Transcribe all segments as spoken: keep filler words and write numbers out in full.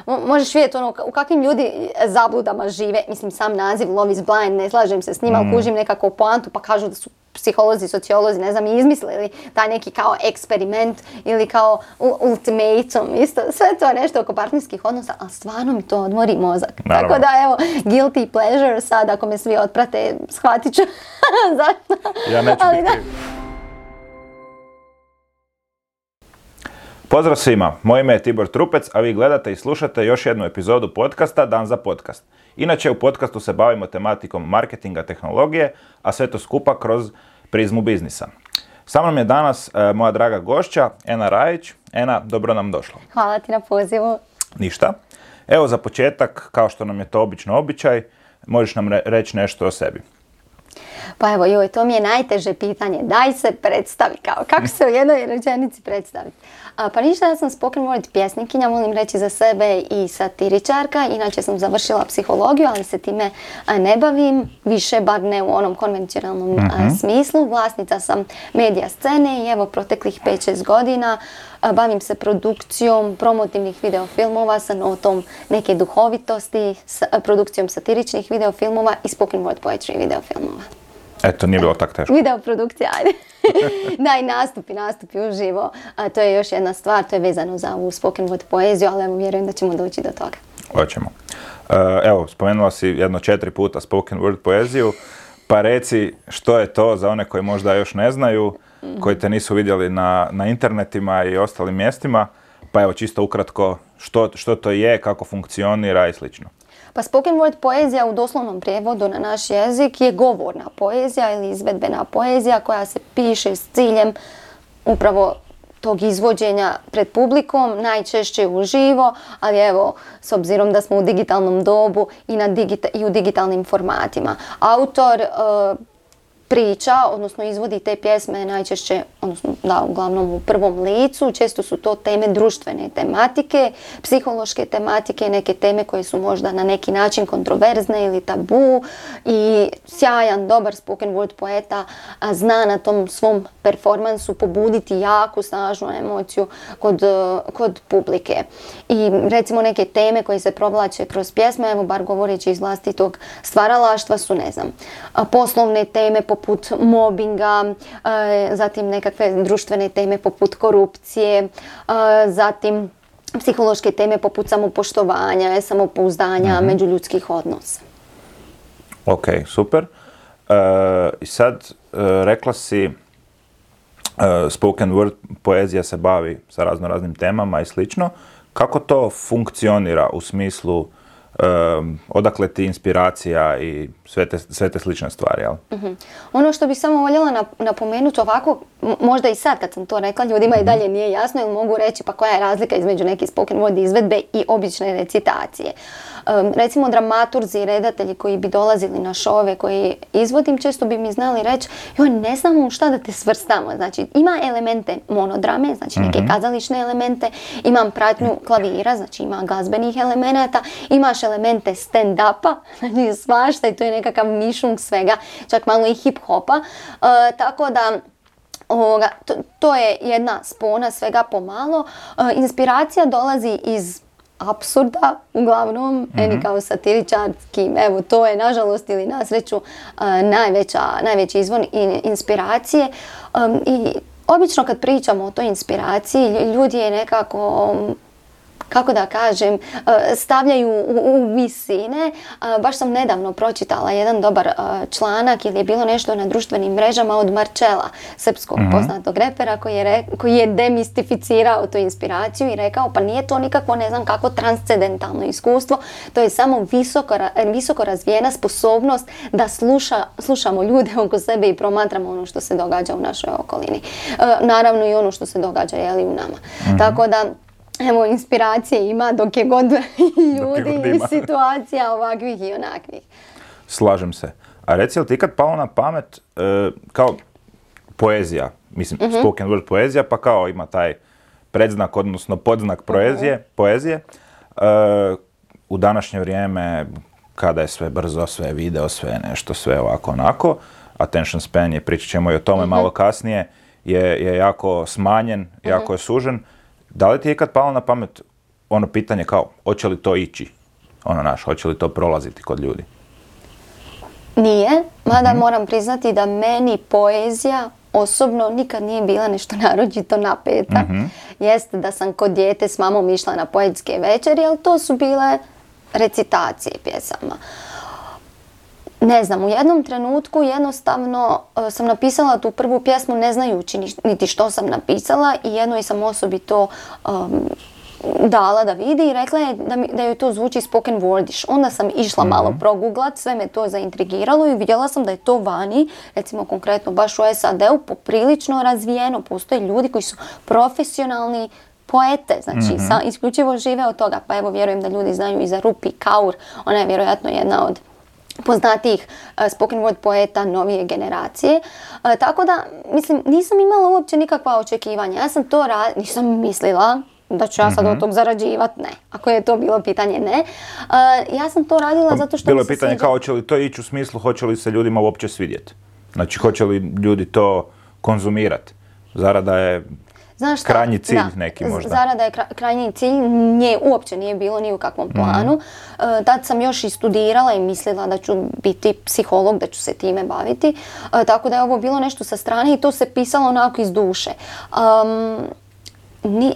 možeš vidjeti ono, u kakvim ljudi zabludama žive. Mislim, sam naziv Love is Blind, ne slažem se s njima, mm. kužim nekako poantu, pa kažu da su psiholozi, sociolozi, ne znam, izmislili taj neki kao eksperiment ili kao ultimatum, isto, sve to je nešto oko partnerskih odnosa, ali stvarno mi to odmori mozak. Naravno. Tako da, evo, guilty pleasure, sad ako me svi otprate, shvatit ću zašto. Ja neću ali biti. Pozdrav svima, moje ime je Tibor Trupec, a vi gledate i slušate još jednu epizodu podcasta Dan za podcast. Inače, u podcastu se bavimo tematikom marketinga, tehnologije, a sve to skupa kroz prizmu biznisa. Sa mnom je danas e, moja draga gošća, Ena Rajić. Ena, dobro nam došla. Hvala ti na pozivu. Ništa. Evo za početak, kao što nam je to obično običaj, možeš nam re- reći nešto o sebi. Pa evo, joj, to mi je najteže pitanje. Daj se predstavi, kao, kako se u jednoj rečenici predstaviti. A, pa ništa, ja sam spoken word pjesnikinja, volim reći za sebe i satiričarka. Inače sam završila psihologiju, ali se time a, ne bavim, više bar ne u onom konvencionalnom mm-hmm. a, smislu. Vlasnica sam medija scene i evo proteklih pet šest godina a, bavim se produkcijom promotivnih videofilmova sa notom neke duhovitosti, s a, produkcijom satiričnih videofilmova i spoken word poetry videofilmova. Eto, nije bilo tako teško. Video produkcija, ajde. Da, i nastupi, nastupi uživo. A to je još jedna stvar, to je vezano za ovu spoken word poeziju, ali evo vjerujem da ćemo doći do toga. Hoćemo. Uh, evo, spomenula si jedno četiri puta spoken word poeziju, pa reci što je to za one koji možda još ne znaju, mm-hmm. koji te nisu vidjeli na, na internetima i ostalim mjestima, pa evo čisto ukratko što, što to je, kako funkcionira i slično. Pa spoken word poezija u doslovnom prijevodu na naš jezik je govorna poezija ili izvedbena poezija koja se piše s ciljem upravo tog izvođenja pred publikom, najčešće uživo, ali evo, s obzirom da smo u digitalnom dobu i, na digita- i u digitalnim formatima. Autor uh, priča, odnosno izvodi te pjesme najčešće, odnosno da, uglavnom u prvom licu, često su to teme društvene tematike, psihološke tematike, neke teme koje su možda na neki način kontroverzne ili tabu i sjajan, dobar spoken word poeta a zna na tom svom performansu pobuditi jaku, snažnu emociju kod, kod publike. I recimo neke teme koje se provlače kroz pjesme, evo bar govoreći iz vlastitog stvaralaštva su, ne znam, poslovne teme poput mobinga, zatim nekakve društvene teme poput korupcije, zatim psihološke teme poput samopoštovanja, samopouzdanja, mm-hmm. međuljudskih odnosa. Ok, super. I uh, sad uh, rekla si uh, spoken word poezija se bavi sa razno raznim temama i slično. Kako to funkcionira u smislu Um, odakle ti inspiracija i sve te, sve te slične stvari, jel? Mm-hmm. Ono što bih samo voljela napomenuti ovako, možda i sad kad sam to rekla, ljudima mm-hmm. i dalje nije jasno ili mogu reći pa koja je razlika između neke spoken word izvedbe i obične recitacije. Um, recimo dramaturzi i redatelji koji bi dolazili na šove koji izvodim, često bi mi znali reći joj, ne znamo šta da te svrstamo. Znači ima elemente monodrame, znači neke mm-hmm. kazališne elemente, imam pratnju klavira, znači ima glazbenih elemenata, imaš elemente stand-upa, znači svašta i to je nekakav mišung svega, čak malo i hip-hopa, uh, tako da ovoga, to, to je jedna spona svega pomalo. Uh, inspiracija dolazi iz apsurda, uglavnom, mm-hmm. eni kao satiričarski, evo to je nažalost ili na sreću uh, najveća, najveći izvor in, inspiracije um, i obično kad pričamo o toj inspiraciji, ljudi je nekako um, kako da kažem, stavljaju u, u visine. Baš sam nedavno pročitala jedan dobar članak ili je bilo nešto na društvenim mrežama od Marčela, srpskog mm-hmm. poznatog repera koji je, re, koji je demistificirao tu inspiraciju i rekao pa nije to nikakvo ne znam kako transcendentalno iskustvo, to je samo visoko, visoko razvijena sposobnost da sluša, slušamo ljude oko sebe i promatramo ono što se događa u našoj okolini. Naravno i ono što se događa jeli, u nama. Mm-hmm. Tako da evo, inspiracije ima dok je god ljudi i situacija ovakvih i onakvih. Slažem se. A reci li ti kad palo na pamet uh, kao poezija, mislim mm-hmm. spoken word poezija, pa kao ima taj predznak, odnosno podznak poezije, mm-hmm. poezije. Uh, u današnje vrijeme kada je sve brzo, sve video, sve nešto, sve ovako onako, attention span je, pričat ćemo i o tome mm-hmm. malo kasnije, je, je jako smanjen, mm-hmm. jako je sužen. Da li ti je kad palo na pamet ono pitanje kao, hoće li to ići? Ono naš, hoće li to prolaziti kod ljudi? Nije, mada mm-hmm. moram priznati da meni poezija osobno nikad nije bila nešto naročito napeta. Mm-hmm. Jeste da sam kod dijete s mamom išla na poetske večeri, ali to su bile recitacije pjesama. Ne znam, u jednom trenutku jednostavno uh, sam napisala tu prvu pjesmu ne znajući niti što sam napisala i jednoj sam osobi to um, dala da vidi i rekla je da, mi, da joj to zvuči spoken wordish. Onda sam išla mm-hmm. malo proguglat, sve me to zaintrigiralo i vidjela sam da je to vani, recimo konkretno baš u S A D-u, poprilično razvijeno. Postoje ljudi koji su profesionalni poete, znači mm-hmm. sa, isključivo žive od toga. Pa evo, vjerujem da ljudi znaju i za Rupi Kaur, ona je vjerojatno jedna od poznatijih uh, spoken word poeta novije generacije. Uh, tako da, mislim, nisam imala uopće nikakva očekivanja. Ja sam to radila, nisam mislila da ću ja sad mm-hmm. od tog zarađivat, ne. Ako je to bilo pitanje, ne. Uh, ja sam to radila pa, zato što bilo mi se pitanje sviđa. Kao hoće li to ići u smislu, hoće li se ljudima uopće svidjeti? Znači, hoće li ljudi to konzumirati? Zarada je Znaš šta? krajnji cilj da, neki možda. Zarada je krajnji cilj, nje uopće nije bilo ni u kakvom planu. Mm-hmm. Uh, tad sam još i studirala i mislila da ću biti psiholog, da ću se time baviti. Uh, tako da je ovo bilo nešto sa strane i to se pisalo onako iz duše. Um, ni,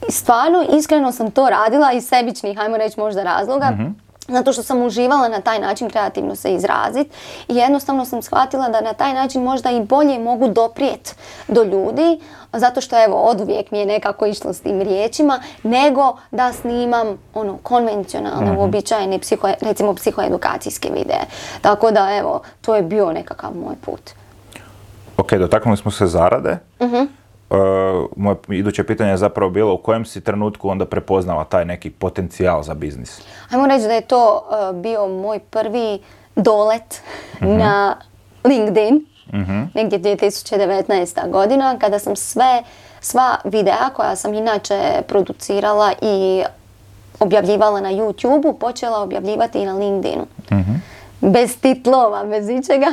Stvarno, iskreno sam to radila iz sebičnih, hajmo reći možda razloga, mm-hmm. zato što sam uživala na taj način kreativno se izraziti i jednostavno sam shvatila da na taj način možda i bolje mogu doprijeti do ljudi, zato što evo oduvijek mi je nekako išlo s tim riječima, nego da snimam ono konvencionalne, mm-hmm. uobičajene psiho, recimo psihoedukacijske videe. Tako da evo, to je bio nekakav moj put. Ok, dotaknuli smo se zarade. Mm-hmm. Uh, moje iduće pitanje je zapravo bilo u kojem si trenutku onda prepoznala taj neki potencijal za biznis? Ajmo reći da je to uh, bio moj prvi dolet mm-hmm. na LinkedIn, mm-hmm. negdje dvije tisuće devetnaesta godina, kada sam sve, sva videa koja sam inače producirala i objavljivala na YouTubeu, počela objavljivati i na LinkedInu. Mm-hmm. Bez titlova, bez ičega.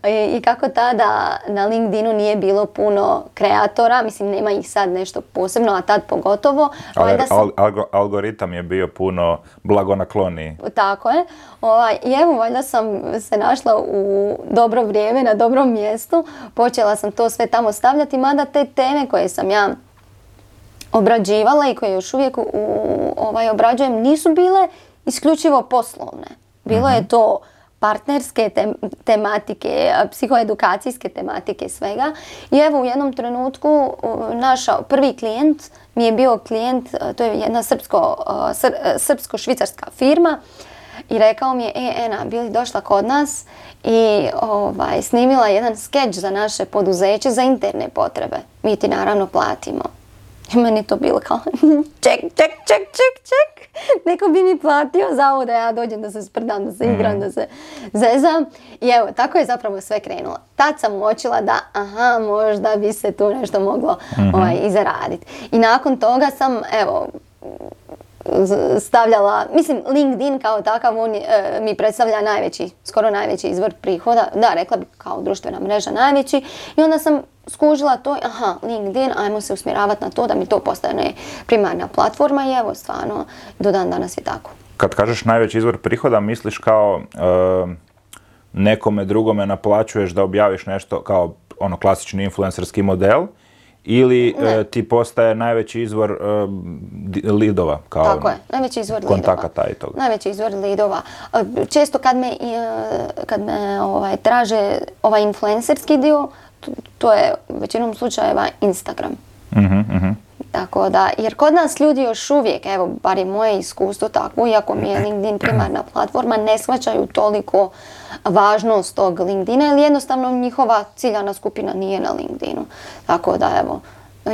I, I kako tada na LinkedInu nije bilo puno kreatora, mislim nema ih sad nešto posebno, a tad pogotovo. Ali sam... algo, algoritam je bio puno blagonakloniji. Tako je. Ovaj, I evo, valjda sam se našla u dobro vrijeme, na dobrom mjestu. Počela sam to sve tamo stavljati, mada te teme koje sam ja obrađivala i koje još uvijek u, ovaj, obrađujem nisu bile isključivo poslovne. Bilo je to partnerske te- tematike, psihoedukacijske tematike, svega. I evo u jednom trenutku naš prvi klijent mi je bio klijent, to je jedna srpsko, sr, srpsko-švicarska firma i rekao mi je, e, Ena, bi li došla kod nas i ovaj, snimila jedan skeč za naše poduzeće za interne potrebe. Mi ti naravno platimo. I meni to bilo kao, ček, ček, ček, ček, ček. Neko bi mi platio za ovo da ja dođem, da se sprdam, da se igram, da se zezam. I evo, tako je zapravo sve krenulo. Tad sam uočila da, aha, možda bi se tu nešto moglo mm-hmm. ovaj, i zaraditi. I nakon toga sam, evo, stavljala, mislim, LinkedIn kao takav, on e, mi predstavlja najveći, skoro najveći izvor prihoda. Da, rekla bih kao društvena mreža najveći. I onda sam skužila to, aha, LinkedIn, ajmo se usmjeravati na to da mi to postane primarna platforma i evo, stvarno, do dan danas je tako. Kad kažeš najveći izvor prihoda, misliš kao e, nekome drugome naplaćuješ da objaviš nešto kao ono klasični influencerski model ili e, ti postaje najveći izvor e, lidova? Kao tako je, najveći izvor kontakata lidova. I toga. Najveći izvor lidova. Često kad me, kad me ovaj, traže ovaj influencerski dio, to je u većinom slučajeva Instagram. Mm-hmm, mm-hmm. Tako da, jer kod nas ljudi još uvijek, evo, bar je moje iskustvo tako, iako mi je LinkedIn primarna platforma, ne shvaćaju toliko važnost tog LinkedIna, jer jednostavno njihova ciljana skupina nije na LinkedInu. Tako da, evo,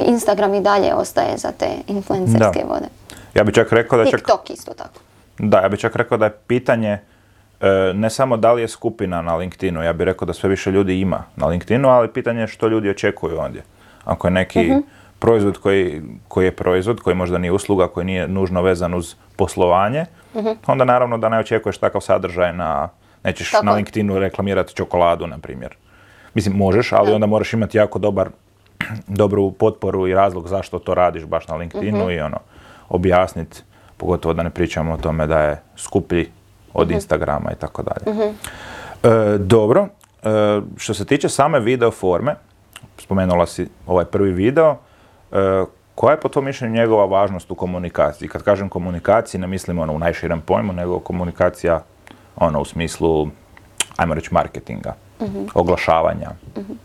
Instagram i dalje ostaje za te influencerske da. vode. Ja bih čak rekao da TikTok čak, isto tako. Da, ja bih čak rekao da je pitanje ne samo da li je skupina na LinkedInu, ja bih rekao da sve više ljudi ima na LinkedInu, ali pitanje je što ljudi očekuju ondje. Ako je neki uh-huh. proizvod koji, koji je proizvod, koji možda nije usluga, koji nije nužno vezan uz poslovanje, uh-huh. onda naravno da ne očekuješ takav sadržaj na, nećeš tako. Na LinkedInu reklamirati čokoladu, na primjer. Mislim, možeš, ali uh-huh. onda moraš imati jako dobar, dobru potporu i razlog zašto to radiš baš na LinkedInu uh-huh. i ono. objasniti, pogotovo da ne pričamo o tome da je skuplji od uh-huh. Instagrama i tako dalje. Uh-huh. E, dobro, e, što se tiče same video forme, spomenula si ovaj prvi video, e, koja je po tom mišljenju njegova važnost u komunikaciji? Kad kažem komunikaciji, ne mislim ono u najširem pojmu, nego komunikacija ono u smislu, ajmo reći, marketinga, uh-huh. oglašavanja. Uh-huh.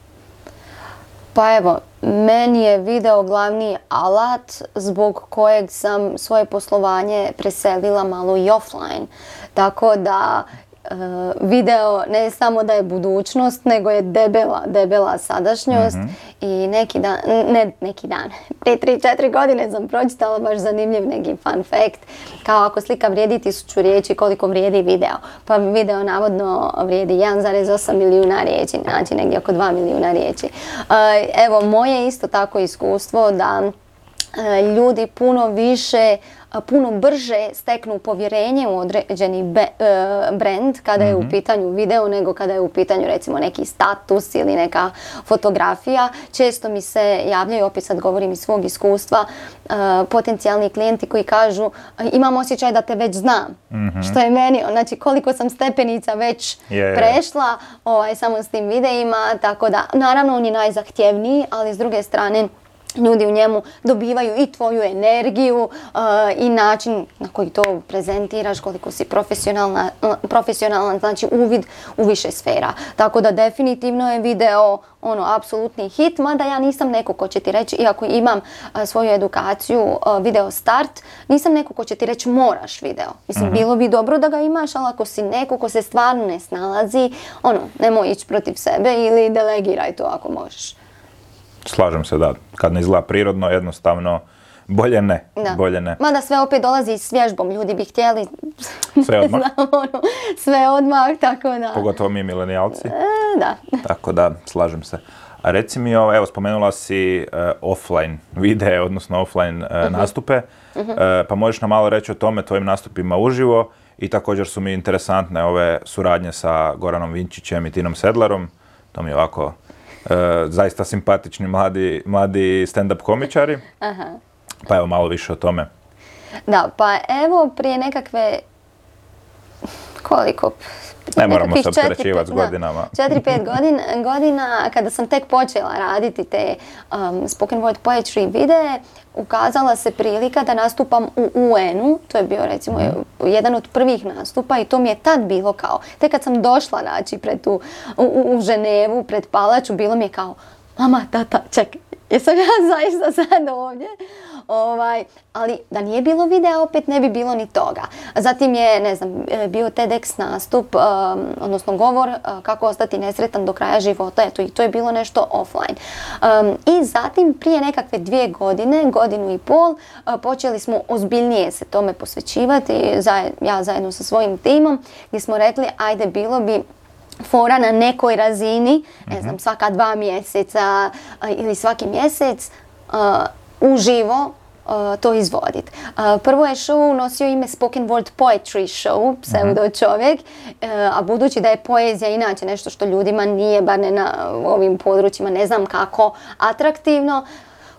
Pa evo, meni je video glavni alat zbog kojeg sam svoje poslovanje preselila malo i offline. Tako da e, video ne samo da je budućnost, nego je debela, debela sadašnjost. Mm-hmm. I neki dan, ne neki dan, prije tri četiri godine sam pročitala baš zanimljiv neki fun fact. Kao ako slika vrijedi tisuću riječi, koliko vrijedi video. Pa video navodno vrijedi jedan zarez osam milijuna riječi, znači negdje oko dva milijuna riječi. E, evo, moje isto tako iskustvo da e, ljudi puno više, puno brže steknu povjerenje u određeni be, e, brand kada je mm-hmm. u pitanju video nego kada je u pitanju recimo neki status ili neka fotografija. Često mi se javljaju, opet sad govorim iz svog iskustva, e, potencijalni klijenti koji kažu imam osjećaj da te već znam. Mm-hmm. Što je meni, znači koliko sam stepenica već yeah. prešla ovaj, samo s tim videima, tako da naravno on je najzahtjevniji, ali s druge strane ljudi u njemu dobivaju i tvoju energiju uh, i način na koji to prezentiraš, koliko si profesionalna, profesionalan, znači uvid u više sfera. Tako da definitivno je video ono apsolutni hit, mada ja nisam neko ko će ti reći, iako imam uh, svoju edukaciju uh, video start, nisam neko ko će ti reći moraš video. Mislim, mm-hmm. bilo bi dobro da ga imaš, ali ako si neko ko se stvarno ne snalazi, ono, nemoj ići protiv sebe ili delegiraj to ako možeš. Slažem se da, kad ne izgleda prirodno, jednostavno, bolje ne, da. bolje ne. Mada sve opet dolazi s vježbom, ljudi bi htjeli sve odmah, znam, ono, sve odmah, tako da. Pogotovo mi milenijalci. E, da. Tako da, slažem se. A reci mi, evo, spomenula si uh, offline videe, odnosno offline uh, uh-huh. nastupe, uh-huh. Uh, pa možeš nam malo reći o tome, tvojim nastupima uživo i također su mi interesantne ove suradnje sa Goranom Vinčićem i Tinom Sedlarom, to mi je ovako Uh, zaista simpatični mladi, mladi stand-up komičari. Aha. Pa evo malo više o tome. Da, pa evo prije nekakve koliko? Ne moramo se opterećivati s godinama. četiri pet godina, godina kada sam tek počela raditi te um, spoken word poetry videe, ukazala se prilika da nastupam u U N-u, to je bio recimo mm. jedan od prvih nastupa i to mi je tad bilo kao, tek kad sam došla znači pred tu, u, u Ženevu, pred palaču, bilo mi je kao, mama, tata, čekaj, jesam ja zaista sad ovdje? Ovaj, ali da nije bilo videa, opet ne bi bilo ni toga. Zatim je, ne znam, bio TEDx nastup, um, odnosno govor uh, kako ostati nesretan do kraja života. Eto, i to je bilo nešto offline. Um, I zatim, prije nekakve dvije godine, godinu i pol, uh, počeli smo ozbiljnije se tome posvećivati, zaj, ja zajedno sa svojim timom, gdje smo rekli, ajde, bilo bi fora na nekoj razini, ne znam, svaka dva mjeseca uh, ili svaki mjesec, uh, uživo uh, to izvoditi. Uh, prvo je show nosio ime Spoken Word Poetry Show, pseudo čovjek, uh, a budući da je poezija inače nešto što ljudima nije, bar ne na ovim područjima, ne znam kako, atraktivno,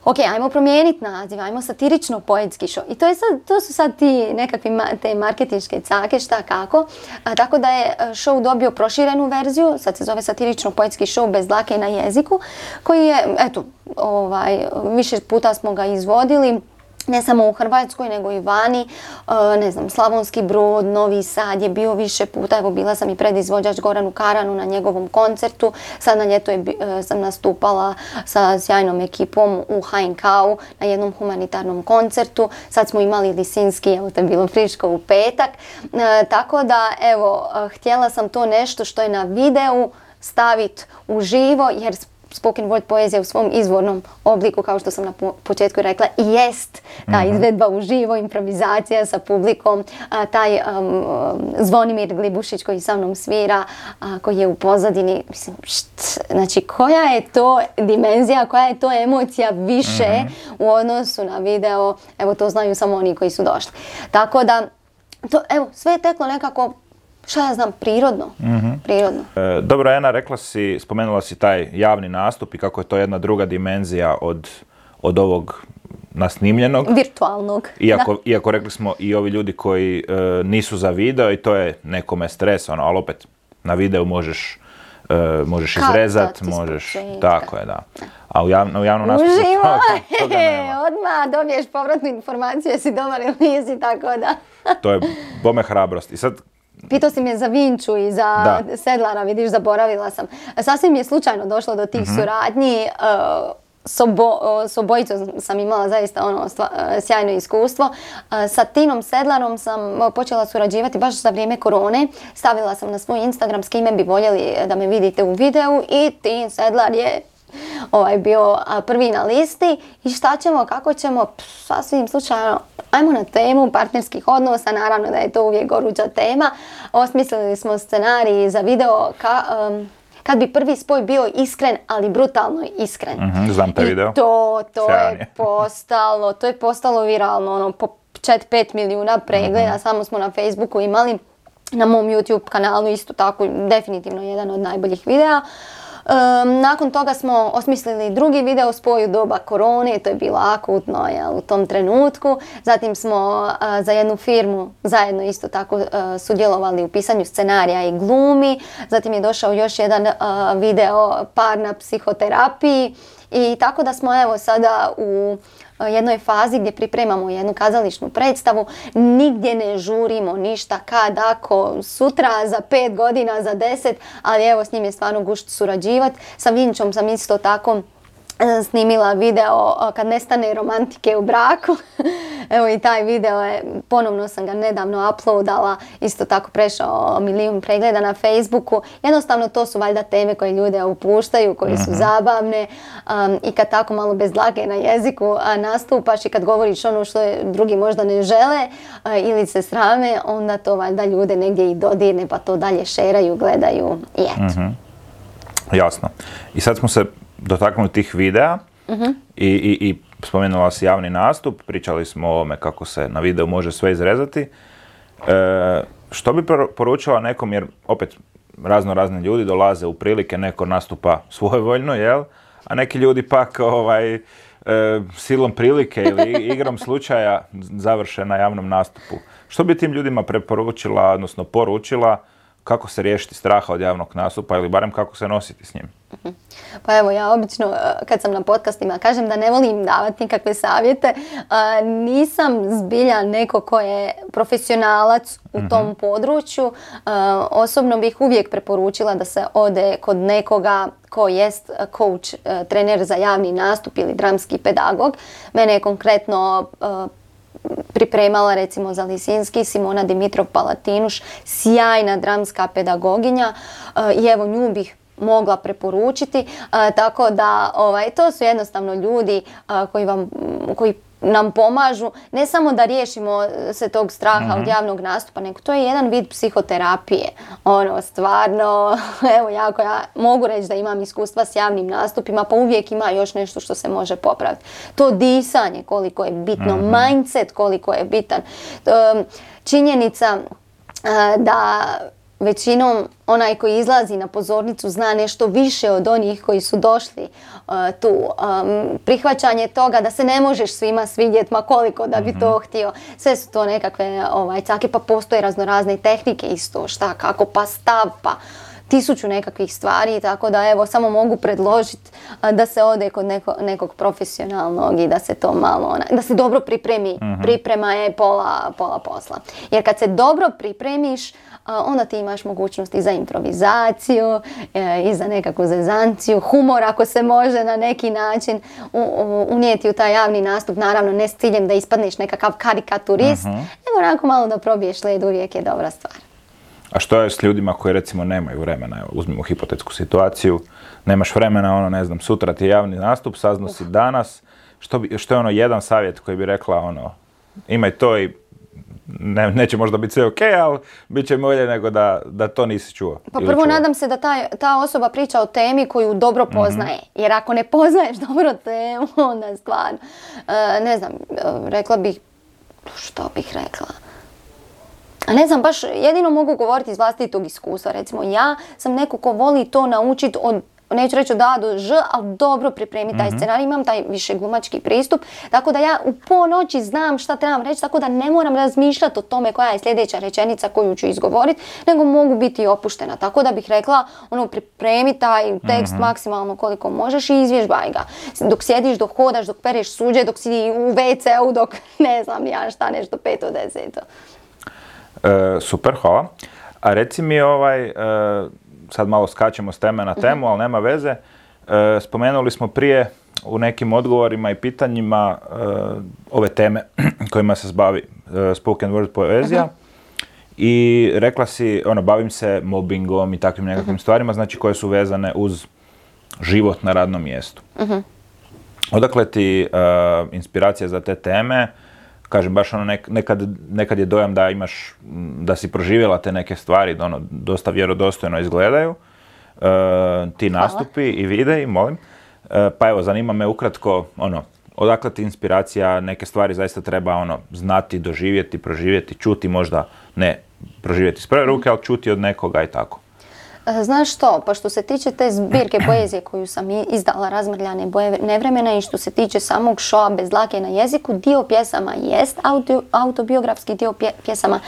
ok, ajmo promijeniti naziv, ajmo satirično poetski show. I to, je sad, to su sad ti nekakvi ma, te marketinške cake, šta kako. A, tako da je show dobio proširenu verziju, sad se zove satirično poetski show bez dlake na jeziku, koji je, eto, ovaj, više puta smo ga izvodili. Ne samo u Hrvatskoj, nego i vani, ne znam, Slavonski Brod, Novi Sad je bio više puta, evo bila sam i predizvođač Goranu Karanu na njegovom koncertu, sad na ljeto je, sam nastupala sa sjajnom ekipom u H N K-u na jednom humanitarnom koncertu, sad smo imali Lisinski, evo to je bilo friško u petak, e, tako da evo, htjela sam to nešto što je na videu staviti uživo, jer spoken word poezija u svom izvornom obliku, kao što sam na početku rekla, i jest ta izvedba uživo, improvizacija sa publikom, a, taj um, Zvonimir Glibušić koji sa mnom svira, a, koji je u pozadini, mislim, št, znači koja je to dimenzija, koja je to emocija više mm-hmm. u odnosu na video, evo to znaju samo oni koji su došli. Tako da, to, evo, sve je teklo nekako, šta ja znam, prirodno. Mm-hmm. prirodno. E, dobro, Ena, rekla si, spomenula si taj javni nastup i kako je to jedna druga dimenzija od, od ovog nasnimljenog. Virtualnog. Iako, da. iako rekli smo i ovi ljudi koji e, nisu za video i to je nekome stres, ono, ali opet na videu možeš, e, možeš izrezat, možeš, tako je, da. A u, javno, u javnom nastupu toga, toga nema. Odmah dobiješ povratnu informaciju jesi dobar ili nisi, tako da. To je bome hrabrost. I sad, pitao si me za Vinču i za da. Sedlara, vidiš, zaboravila sam. Sasvim je slučajno došlo do tih mm-hmm. suradnji. Uh, S, obo, s obojicom sam imala zaista ono stva, sjajno iskustvo. Sa Tinom Sedlarom sam počela surađivati baš za vrijeme korone. Stavila sam na svoj Instagram s kime bi voljeli da me vidite u videu i Tin Sedlar je ovaj, bio prvi na listi. I šta ćemo, kako ćemo, pff, sasvim slučajno, ajmo na temu partnerskih odnosa, naravno da je to uvijek goruća tema. Osmislili smo scenarij za video ka, um, kad bi prvi spoj bio iskren, ali brutalno iskren. Mm-hmm, znam taj video. I to, to je postalo, to je postalo viralno, ono, po četiri pet milijuna pregleda, mm-hmm. samo smo na Facebooku imali, na mom YouTube kanalu isto tako, definitivno jedan od najboljih videa. Um, nakon toga smo osmislili drugi video spoj u doba korone, to je bilo akutno jel, u tom trenutku. Zatim smo uh, za jednu firmu zajedno isto tako uh, sudjelovali u pisanju scenarija i glumi. Zatim je došao još jedan uh, video par na psihoterapiji. I tako da smo evo sada u jednoj fazi gdje pripremamo jednu kazališnu predstavu, nigdje ne žurimo ništa kad, ako, sutra, za pet godina, za deset, ali evo s njim je stvarno gušt surađivati. Sa Vinčom sam isto tako snimila video kad nestane romantike u braku. Evo i taj video je, ponovno sam ga nedavno uploadala, isto tako prešao milijun pregleda na Facebooku. Jednostavno to su valjda teme koje ljude upuštaju, koje su zabavne um, i kad tako malo bez dlake na jeziku uh, nastupaš i kad govoriš ono što je drugi možda ne žele uh, ili se srame, onda to valjda ljude negdje i dodirne pa to dalje šeraju, gledaju i eto. Mm-hmm. Jasno. I sad smo se dotaknuli tih videa uh-huh. i, i, i spomenula si javni nastup, pričali smo o ovome kako se na videu može sve izrezati. E, što bi poručila nekom, jer opet razno razni ljudi dolaze u prilike, neko nastupa svojevoljno, jel? A neki ljudi pak ovaj, e, silom prilike ili igrom slučaja završe na javnom nastupu. Što bi tim ljudima preporučila, odnosno poručila, kako se riješiti straha od javnog nastupa ili barem kako se nositi s njim? Pa evo, ja obično kad sam na podcastima kažem da ne volim davati nikakve savjete. Nisam zbilja neko ko je profesionalac u tom mm-hmm. području. Osobno bih uvijek preporučila da se ode kod nekoga ko jest coach, trener za javni nastup ili dramski pedagog. Mene je konkretno pripremala recimo za Lisinski Simona Dimitrov-Palatinuš, sjajna dramska pedagoginja i evo nju bih mogla preporučiti, tako da ovaj, to su jednostavno ljudi koji vam, koji nam pomažu ne samo da riješimo se tog straha mm-hmm. od javnog nastupa, nego to je jedan vid psihoterapije. Ono, stvarno, evo jako ja mogu reći da imam iskustva s javnim nastupima, pa uvijek ima još nešto što se može popraviti. To disanje koliko je bitno, mm-hmm. mindset koliko je bitan. Činjenica da većinom onaj koji izlazi na pozornicu zna nešto više od onih koji su došli uh, tu. Um, prihvaćanje toga da se ne možeš svima svidjeti, ma koliko da bi to htio. Sve su to nekakve ovaj, cake, pa postoje raznorazne tehnike isto, šta, kako, pa stav, pa tisuću nekakvih stvari, tako da evo samo mogu predložiti da se ode kod neko, nekog profesionalnog i da se to malo, da se dobro pripremi. Uh-huh. Priprema je pola, pola posla. Jer kad se dobro pripremiš, onda ti imaš mogućnost i za improvizaciju, i za nekakvu zezanciju, humor ako se može na neki način unijeti u taj javni nastup, naravno ne s ciljem da ispadneš nekakav karikaturist, uh-huh. nego onako malo da probiješ led, uvijek je dobra stvar. A što je s ljudima koji recimo nemaju vremena? Evo, uzmimo hipotetsku situaciju, nemaš vremena, ono ne znam, sutra ti je javni nastup, saznao si danas, što, bi, što je ono jedan savjet koji bi rekla ono, imaj to i ne, neće možda biti sve ok, ali bit će bolje nego da, da to nisi čuo. Pa prvo čuo. Nadam se da ta, ta osoba priča o temi koju dobro poznaje, mm-hmm. jer ako ne poznaješ dobro temu, onda stvarno, uh, ne znam, uh, rekla bih, što bih rekla? A ne znam, baš jedino mogu govoriti iz vlastitog iskustva. Recimo, ja sam neko ko voli to naučiti od neću reći od A do Ž, ali dobro pripremiti taj mm-hmm. scenarij, imam taj više glumački pristup, tako da ja u ponoći znam šta trebam reći, tako da ne moram razmišljati o tome koja je sljedeća rečenica koju ću izgovoriti, nego mogu biti opuštena, tako da bih rekla, ono, pripremi taj tekst mm-hmm. maksimalno koliko možeš i izvježbaj ga. Dok sjediš, dok hodaš, dok pereš suđe, dok si u ve ce u, dok ne znam ja šta, nešto peto, deseto. E, super, hvala. A reci mi ovaj, e, sad malo skačemo s teme na temu, mm-hmm. ali nema veze. E, spomenuli smo prije u nekim odgovorima i pitanjima e, ove teme kojima se bavi e, spoken word poezija. Mm-hmm. I rekla si, ono, bavim se mobbingom i takvim nekakvim mm-hmm. stvarima, znači koje su vezane uz život na radnom mjestu. Mm-hmm. Odakle ti uh, inspiracija za te teme? Kažem, baš ono nek, nekad, nekad je dojam da imaš, da si proživjela te neke stvari, da ono, dosta vjerodostojno izgledaju. Uh, ti nastupi i videi, molim. Uh, pa evo, zanima me ukratko, ono, odakle ti inspiracija, neke stvari zaista treba ono, znati, doživjeti, proživjeti, čuti možda, ne proživjeti s prve ruke, ali čuti od nekoga i tako. Znaš što, pa što se tiče te zbirke poezije koju sam izdala, Razmrljane boje nevremena, i što se tiče samog šoa Bez dlake na jeziku, dio pjesama jest auto, autobiografski, dio pje, pjesama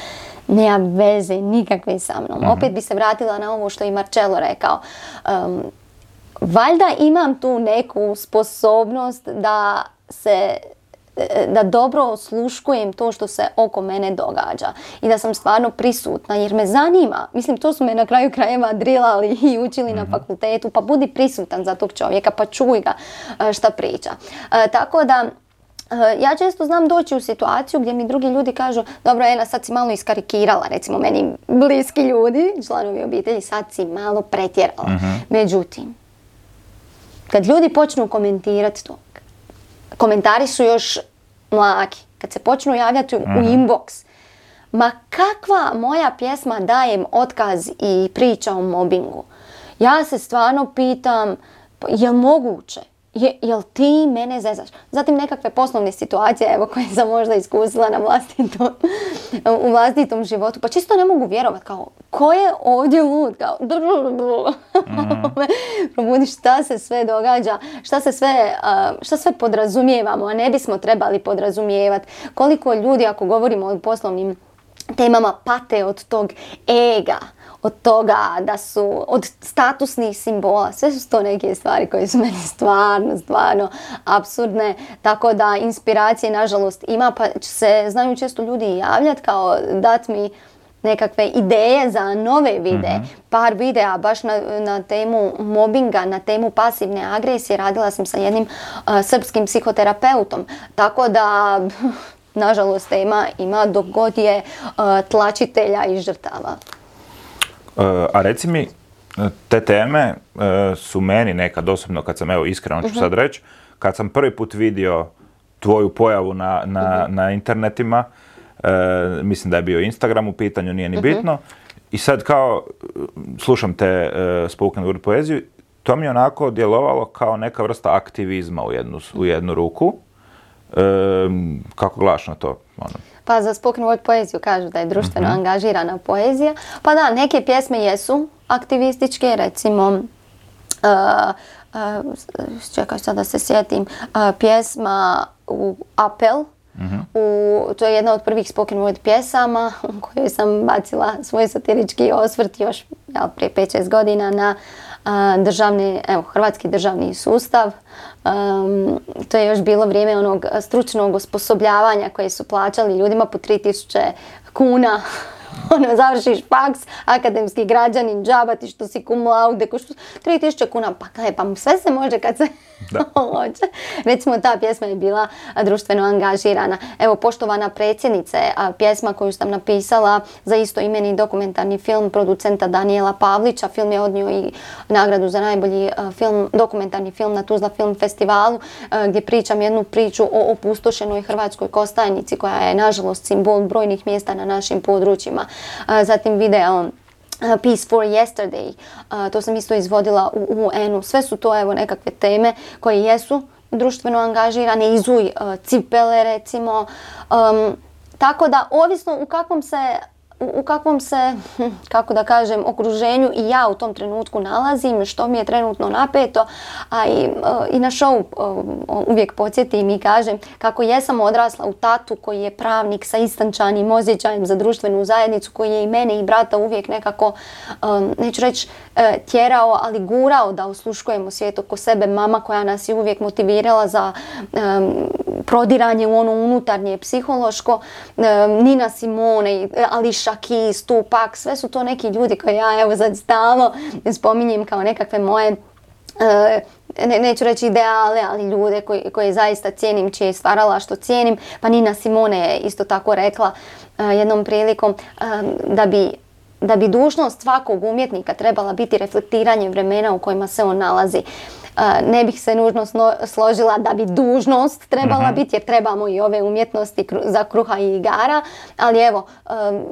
nema veze nikakve sa mnom. Mm-hmm. Opet bi se vratila na ovo što je Marcello rekao. Um, valjda imam tu neku sposobnost da se da dobro osluškujem to što se oko mene događa i da sam stvarno prisutna jer me zanima. Mislim, to su me na kraju krajeva drilali i učili mm-hmm. na fakultetu, pa budi prisutan za tog čovjeka, pa čuj ga šta priča. E, tako da ja često znam doći u situaciju gdje mi drugi ljudi kažu, dobro, Ena, sad si malo iskarikirala, recimo meni bliski ljudi, članovi obitelji, sad si malo pretjerala. Mm-hmm. Međutim, kad ljudi počnu komentirati to, komentari su još mlaki. Kad se počnu javljati u, mm-hmm. u inbox, ma kakva moja pjesma dajem otkaz i priča o mobbingu. Ja se stvarno pitam, je moguće? Je, jel ti mene zezaš? Zatim nekakve poslovne situacije, evo, koje sam možda iskusila na vlastitom, u vlastitom životu. Pa čisto ne mogu vjerovati, kao, ko je ovdje lud? Kao, mm-hmm. probudi šta se sve događa, šta se sve, uh, šta sve podrazumijevamo, a ne bismo trebali podrazumijevati. Koliko ljudi, ako govorimo o poslovnim temama, pate od tog ega, od toga da su, od statusnih simbola, sve su to neke stvari koje su meni stvarno, stvarno apsurdne, tako da inspiracije nažalost ima, pa se znaju često ljudi javljati kao dat mi nekakve ideje za nove videe, mm-hmm. par videa baš na, na temu mobinga, na temu pasivne agresije, radila sam sa jednim uh, srpskim psihoterapeutom, tako da nažalost tema ima dok god je uh, tlačitelja i žrtava. Uh, a reci mi, te teme uh, su meni nekad osobno, kad sam, evo iskreno ću uh-huh. sad reći, kad sam prvi put vidio tvoju pojavu na, na, uh-huh. na internetima, uh, mislim da je bio Instagram u pitanju, nije ni uh-huh. bitno, i sad kao slušam te uh, spoken word poeziju, to mi je onako djelovalo kao neka vrsta aktivizma u jednu, u jednu ruku. Uh, kako gledaš na to? Ono. Pa za spoken word poeziju kažu da je društveno mm-hmm. angažirana poezija. Pa da, neke pjesme jesu aktivističke, recimo, uh, uh, čekaj sad da se sjetim, uh, pjesma u Apel, mm-hmm. u, to je jedna od prvih spoken word pjesama u kojoj sam bacila svoj satirički osvrt još ja, prije pet šest godina na uh, državni, evo, hrvatski državni sustav. Um, to je još bilo vrijeme onog stručnog osposobljavanja koje su plaćali ljudima po tri tisuće kuna. Ono, završiš faks, akademski građanin, džaba ti što si cum laude, tri tisuće kuna, pa kaj, pa sve se može kad se hoće. Recimo, ta pjesma je bila društveno angažirana. Evo, Poštovana predsjednice, pjesma koju sam napisala za istoimeni dokumentarni film producenta Danijela Pavlića. Film je odnio i nagradu za najbolji film, dokumentarni film na Tuzla Film Festivalu, gdje pričam jednu priču o opustošenoj Hrvatskoj Kostajnici, koja je, nažalost, simbol brojnih mjesta na našim područjima. Zatim video Peace for Yesterday, uh, to sam isto izvodila u U N-u. Sve su to, evo, nekakve teme koje jesu društveno angažirane, izuj uh, cipele recimo. Um, tako da, ovisno u kakvom se u, u kakvom se, kako da kažem, okruženju i ja u tom trenutku nalazim, što mi je trenutno napeto, a i, i na show uvijek podsjetim i kažem kako jesam odrasla u tatu koji je pravnik sa istančanim osjećajem za društvenu zajednicu, koji je i mene i brata uvijek nekako, neću reći tjerao, ali gurao da osluškujemo svijet oko sebe, mama koja nas je uvijek motivirala za um, prodiranje u ono unutarnje psihološko, um, Nina Simone, Alicia Keys, Tupac, sve su to neki ljudi koje ja evo sad stalno spominjem kao nekakve moje uh, ne, neću reći ideale, ali ljude koji, koje zaista cijenim, čije je stvaralaštvo cijenim. Pa Nina Simone je isto tako rekla uh, jednom prilikom um, da bi da bi dužnost svakog umjetnika trebala biti reflektiranje vremena u kojima se on nalazi. Ne bih se nužno složila da bi dužnost trebala uh-huh. biti, jer trebamo i ove umjetnosti za kruha i igara, ali evo,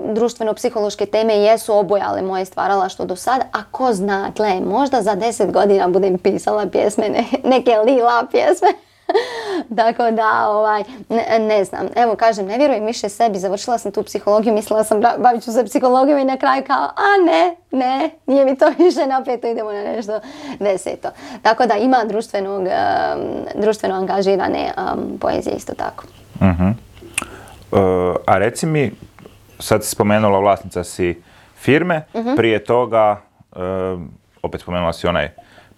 društveno-psihološke teme jesu obojale moje stvaralaštvo do sada, a ko zna, gle, možda za deset godina budem pisala pjesme, ne, neke lila pjesme. Tako da, ovaj, ne, ne znam. Evo, kažem, ne vjerujem više sebi. Završila sam tu psihologiju, mislila sam bavit ću se psihologijom i na kraju kao, a ne, ne, nije mi to više napeto, idemo na nešto deseto. Tako da ima društvenog, um, društveno angažirane um, poezije isto tako. Uh-huh. Uh, a reci mi, sad si spomenula vlasnica si firme, uh-huh. prije toga, uh, opet spomenula si onaj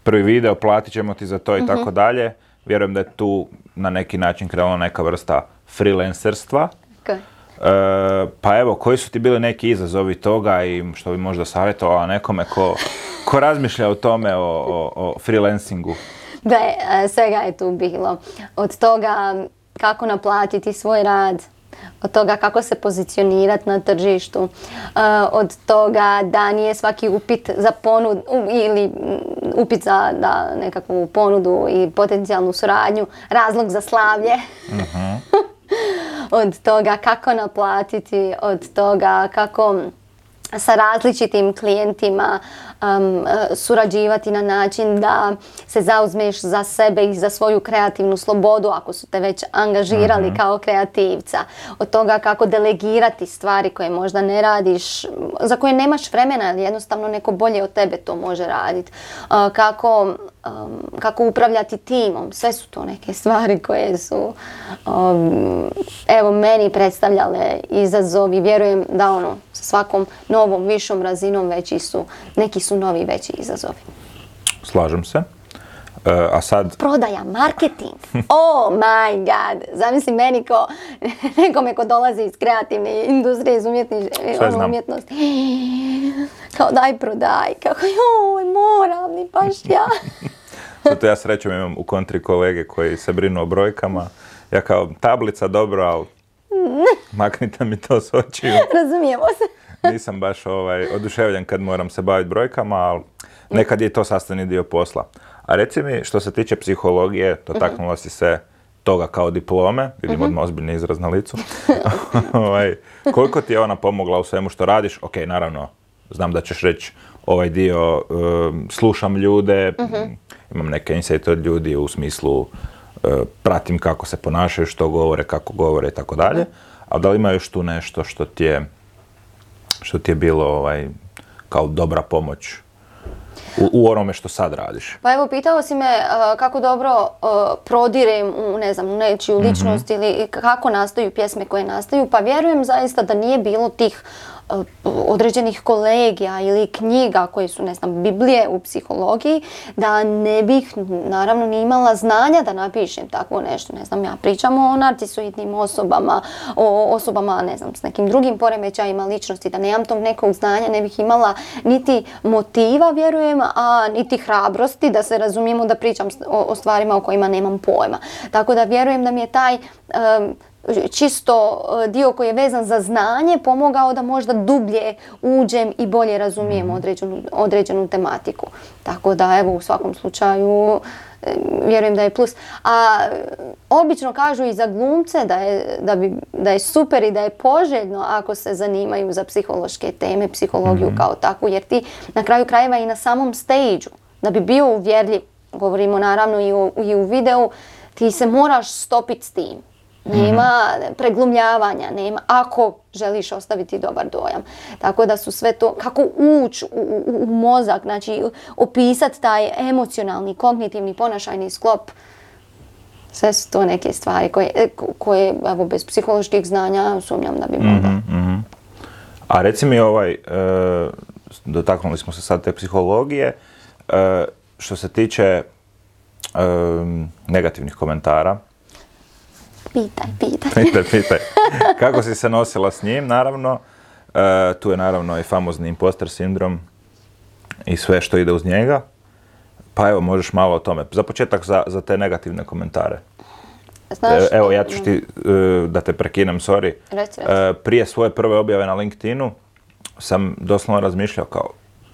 prvi video, platit ćemo ti za to i uh-huh. tako dalje. Vjerujem da je tu na neki način krenula neka vrsta freelancerstva. Okay. E, pa evo, koji su ti bili neki izazovi toga i što bi možda savjetovala nekome ko, ko razmišlja o tome, o, o, o freelancingu? Da, svega je tu bilo. Od toga kako naplatiti svoj rad, od toga kako se pozicionirati na tržištu, od toga da nije svaki upit za ponudu ili upit za da, nekakvu ponudu i potencijalnu suradnju razlog za slavlje. Uh-huh. Od toga kako naplatiti, od toga kako sa različitim klijentima um, surađivati na način da se zauzmeš za sebe i za svoju kreativnu slobodu ako su te već angažirali uh-huh. kao kreativca. Od toga kako delegirati stvari koje možda ne radiš, za koje nemaš vremena ili jednostavno neko bolje od tebe to može raditi. Uh, kako, um, kako upravljati timom. Sve su to neke stvari koje su um, evo meni predstavljale izazov i vjerujem da ono sa svakom novom, višom razinom veći su, neki su novi veći izazovi. Slažem se. Uh, a sad... Prodaja, marketing. Oh my god. Zamisli meni ko nekome ko dolazi iz kreativne industrije, iz umjetni, ono, umjetnosti. Kao daj prodaj. Kako joj, moram li baš ja. Zato ja srećom imam u kontri kolege koji se brinu o brojkama. Ja kao tablica dobro, ali maknite mi to s očiju. Razumijemo se. Nisam baš ovaj, oduševljen kad moram se baviti brojkama, ali nekad je to sastavni dio posla. A reci mi, što se tiče psihologije, dotaknula si se toga kao diplome, vidim odmah ozbiljni izraz na licu. ovaj, koliko ti je ona pomogla u svemu što radiš? Ok, naravno, znam da ćeš reći ovaj dio, um, slušam ljude, uh-huh. imam neke insight od ljudi u smislu uh, pratim kako se ponašaju, što govore, kako govore i tako dalje. A da li ima još tu nešto što ti je, što ti je bilo ovaj, kao dobra pomoć u, u onome što sad radiš? Pa evo, pitao si me uh, kako dobro uh, prodirem u, ne znam, u nečiju ličnost mm-hmm. ili kako nastaju pjesme koje nastaju. Pa vjerujem zaista da nije bilo tih uh, određenih kolegija ili knjiga koje su, ne znam, Biblije u psihologiji, da ne bih naravno ni imala znanja da napišem tako nešto. Ne znam, ja pričam o narcisoidnim osobama, o osobama, ne znam, s nekim drugim poremećajima ličnosti, da nemam tog nekog znanja, ne bih imala niti motiva, vjerujem, a niti hrabrosti da se razumijemo da pričam o, o stvarima o kojima nemam pojma. Tako da vjerujem da mi je taj um, čisto dio koji je vezan za znanje pomogao da možda dublje uđem i bolje razumijem određenu, određenu tematiku. Tako da evo u svakom slučaju vjerujem da je plus. A obično kažu i za glumce da je, da bi, da je super i da je poželjno ako se zanimaju za psihološke teme, psihologiju mm-hmm. kao takvu, jer ti na kraju krajeva i na samom stage-u, da bi bio uvjerljiv, govorimo naravno i u, i u videu, ti se moraš stopiti s tim. nema mm-hmm. preglumljavanja, nema, ako želiš ostaviti dobar dojam. Tako da su sve to, kako ući u, u, u mozak, znači opisati taj emocionalni, kognitivni, ponašajni sklop, sve su to neke stvari koje, koje evo, bez psiholoških znanja sumnjam da bi mogla. Mm-hmm. A reci mi ovaj, e, dotaknuli smo se sad te psihologije, e, što se tiče e, negativnih komentara. Pitaj, pitaj. Pitaj, pitaj. Kako si se nosila s njim, naravno. E, tu je naravno i famozni imposter sindrom i sve što ide uz njega. Pa evo, možeš malo o tome. Za početak za, za te negativne komentare. Znaš, evo, ja ću ti, da te prekinem, sorry. Reci, reci. Prije svoje prve objave na LinkedInu sam doslovno razmišljao kao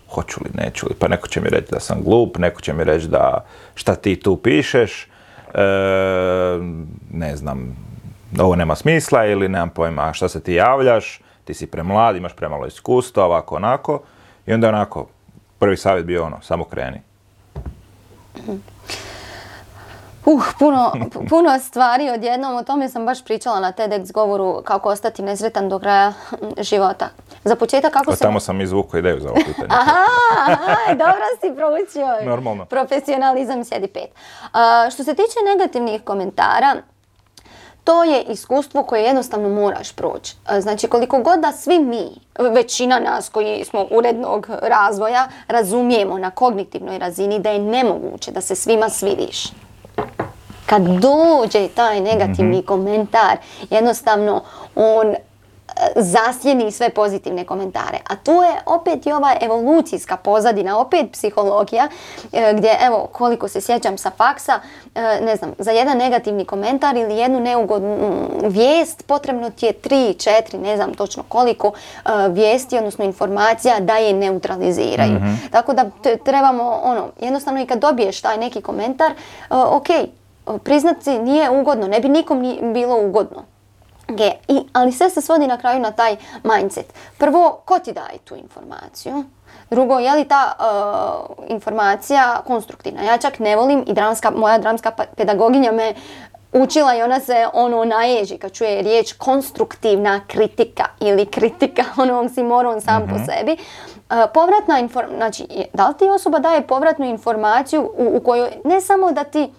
hoću li, neću li, pa neko će mi reći da sam glup, neko će mi reći da šta ti tu pišeš, e, ne znam, ovo nema smisla ili nemam pojma šta se ti javljaš, ti si premlad, imaš premalo iskustva, ovako, onako. I onda onako, prvi savjet bio ono, samo kreni. Uh, puno, puno stvari odjednom, o tome sam baš pričala na TEDx govoru kako ostati nesretan do kraja života. Za početak kako se... Tamo sam izvukao ideju za ovo pitanje. Aha, aha, dobro si proučio. Normalno. Profesionalizam sjedi pet. Uh, što se tiče negativnih komentara, to je iskustvo koje jednostavno moraš proći. Znači, koliko god da svi mi, većina nas koji smo urednog razvoja, razumijemo na kognitivnoj razini da je nemoguće da se svima svidiš. Kad dođe taj negativni mm-hmm. komentar, jednostavno on zasjeni sve pozitivne komentare. A tu je opet i ova evolucijska pozadina, opet psihologija, gdje, evo, koliko se sjećam sa faksa, ne znam, za jedan negativni komentar ili jednu neugodnu vijest potrebno ti je tri, četiri, ne znam točno koliko vijesti, odnosno informacija da je neutraliziraju. Mm-hmm. Tako da trebamo, ono, jednostavno i kad dobiješ taj neki komentar, ok, priznati nije ugodno, ne bi nikom ni bilo ugodno. Okay. I, ali sve se svodi na kraju na taj mindset. Prvo, ko ti daje tu informaciju? Drugo, je li ta uh, informacija konstruktivna? Ja čak ne volim i dramska, moja dramska pedagoginja me učila i ona se ono naježi kad čuje riječ konstruktivna kritika ili kritika, ono oksimoron sam mm-hmm. po sebi. Uh, povratna informacija, znači, da li ti osoba daje povratnu informaciju u, u kojoj ne samo da ti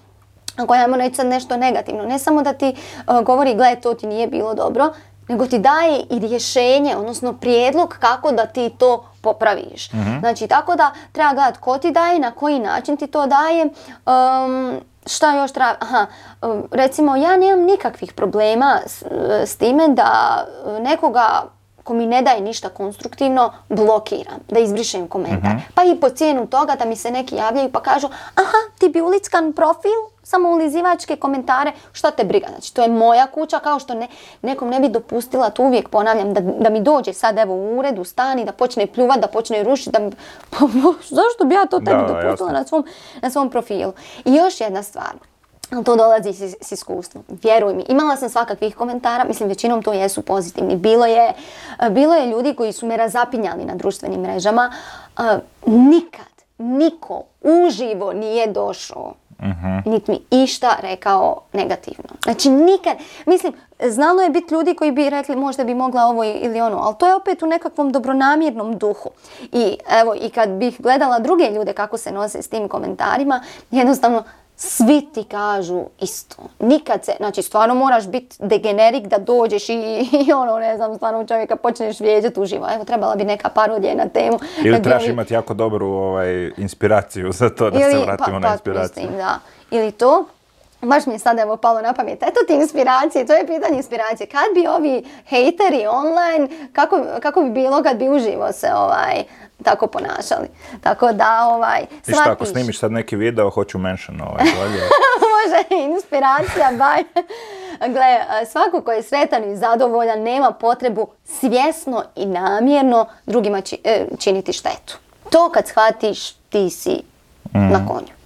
ako ajmo reći sad nešto negativno, ne samo da ti uh, govori gle to ti nije bilo dobro, nego ti daje i rješenje, odnosno prijedlog kako da ti to popraviš. Mm-hmm. Znači tako da treba gledati ko ti daje, na koji način ti to daje, um, šta još treba, aha, um, recimo ja nemam nikakvih problema s, s time da nekoga ko mi ne daje ništa konstruktivno, blokiram, da izbrišem komentar. Mm-hmm. Pa i po cijenu toga da mi se neki javljaju pa kažu aha, ti bi ulickan profil, samo ulizivačke komentare, šta te briga. Znači, to je moja kuća, kao što ne, nekom ne bi dopustila, to uvijek ponavljam, da, da mi dođe sad evo u ured, u stan i da počne pljuvat, da počne rušiti, da mi, zašto bi ja to tebi da, dopustila na svom, na svom profilu. I još jedna stvar. To dolazi s, s iskustvom. Vjeruj mi, imala sam svakakvih komentara, mislim većinom to jesu pozitivni. Bilo je, bilo je ljudi koji su me razapinjali na društvenim mrežama. Uh, nikad, niko uživo nije došao, uh-huh. niti mi išta rekao negativno. Znači nikad, mislim, znalo je biti ljudi koji bi rekli možda bi mogla ovo ili ono, ali to je opet u nekakvom dobronamjernom duhu. I evo, i kad bih gledala druge ljude kako se nose s tim komentarima, jednostavno svi ti kažu isto. Nikad se, znači stvarno moraš biti degenerik da dođeš i, i ono, ne znam, stvarno čovjeka počneš vrijeđati uživo. Evo, trebala bi neka parodija na temu. Ili trebaš bi... imati jako dobru ovaj, inspiraciju za to da ili, se vratimo pa, na inspiraciju. Pa, mislim, da. Ili to, baš mi je sad evo palo na pamet, eto ti inspiracije, to je pitanje inspiracije. Kad bi ovi hejteri online, kako, kako bi bilo kad bi uživo se ovaj... tako ponašali. Tako da, ovaj, shvatiš. I šta, ako snimiš sad neki video, hoću mention ovaj, može, inspiracija, baj. Gle, svako ko je sretan i zadovoljan nema potrebu svjesno i namjerno drugima či, e, činiti štetu. To kad shvatiš, ti si mm. na konju.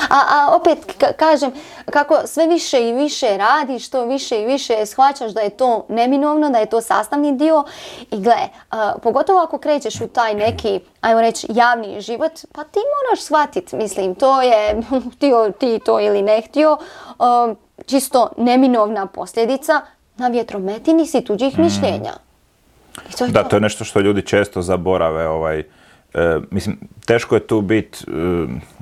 A, a opet k- kažem, kako sve više i više radiš, to više i više shvaćaš da je to neminovno, da je to sastavni dio. I gle, a, pogotovo ako krećeš u taj neki, ajmo reći, javni život, pa ti moraš shvatiti, mislim, to je, htio ti to ili ne htio, a, čisto neminovna posljedica na vjetrometini si tuđih mm. mišljenja. I to je da, to. to je nešto što ljudi često zaborave. Ovaj, e, mislim, teško je tu biti e,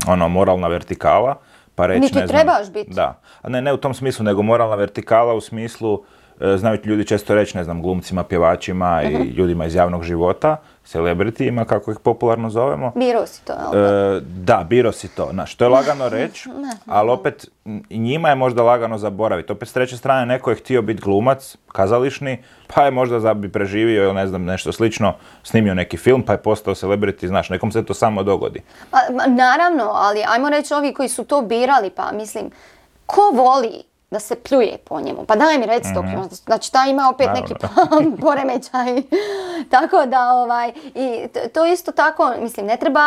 ono, moralna vertikala, pa reći, Niti ne znam... trebaš biti. Da, a ne, ne u tom smislu, nego moralna vertikala u smislu, e, znaju ljudi često reći, ne znam, glumcima, pjevačima uh-huh. i ljudima iz javnog života, celebritijima, kako ih popularno zovemo. Biro si to, jel? E, da, biro si to. Znaš, to je lagano reći, ali opet i njima je možda lagano zaboraviti. Opet s treće strane neko je htio biti glumac, kazališni, pa je možda da bi preživio ili ne znam, nešto slično, snimio neki film, pa je postao celebrity, znaš, nekom se to samo dogodi. Pa, naravno, ali ajmo reći ovi koji su to birali, pa mislim, ko voli da se pljuje po njemu? Pa daj mi reci to, mm-hmm. znači ta ima opet naravno. Neki poremećaj. Tako da, ovaj, i to isto tako, mislim, ne treba,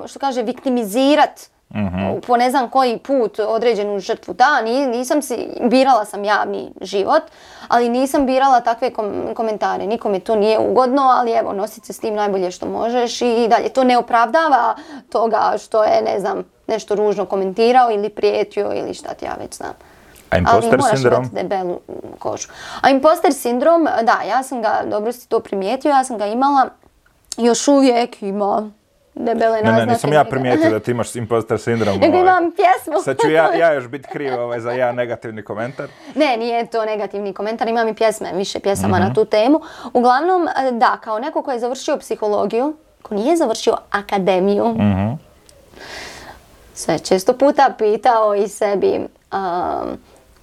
što kaže, viktimizirati mm-hmm. po ne znam koji put određenu žrtvu. Da, nisam si, birala sam javni život, ali nisam birala takve kom- komentare. Nikome to nije ugodno, ali evo, nosit se s tim najbolje što možeš i dalje. To ne opravdava toga što je, ne znam, nešto ružno komentirao ili prijetio ili šta ti ja već znam. A imposter ali moraš sindrom? imati debelu kožu. A imposter sindrom, da, ja sam ga, dobro si to primijetio, ja sam ga imala, još uvijek ima debele naznake. Ne, ne, nisam ja primijetio da ti imaš imposter sindrom. Nego imam pjesmu. Sad ću ja, ja još biti kriv ovaj, za jedan negativni komentar. Ne, nije to negativni komentar, imam i pjesme, više pjesama mm-hmm. na tu temu. Uglavnom, da, kao neko ko je završio psihologiju, ko nije završio akademiju, mm-hmm. se često puta pitao i sebi, um,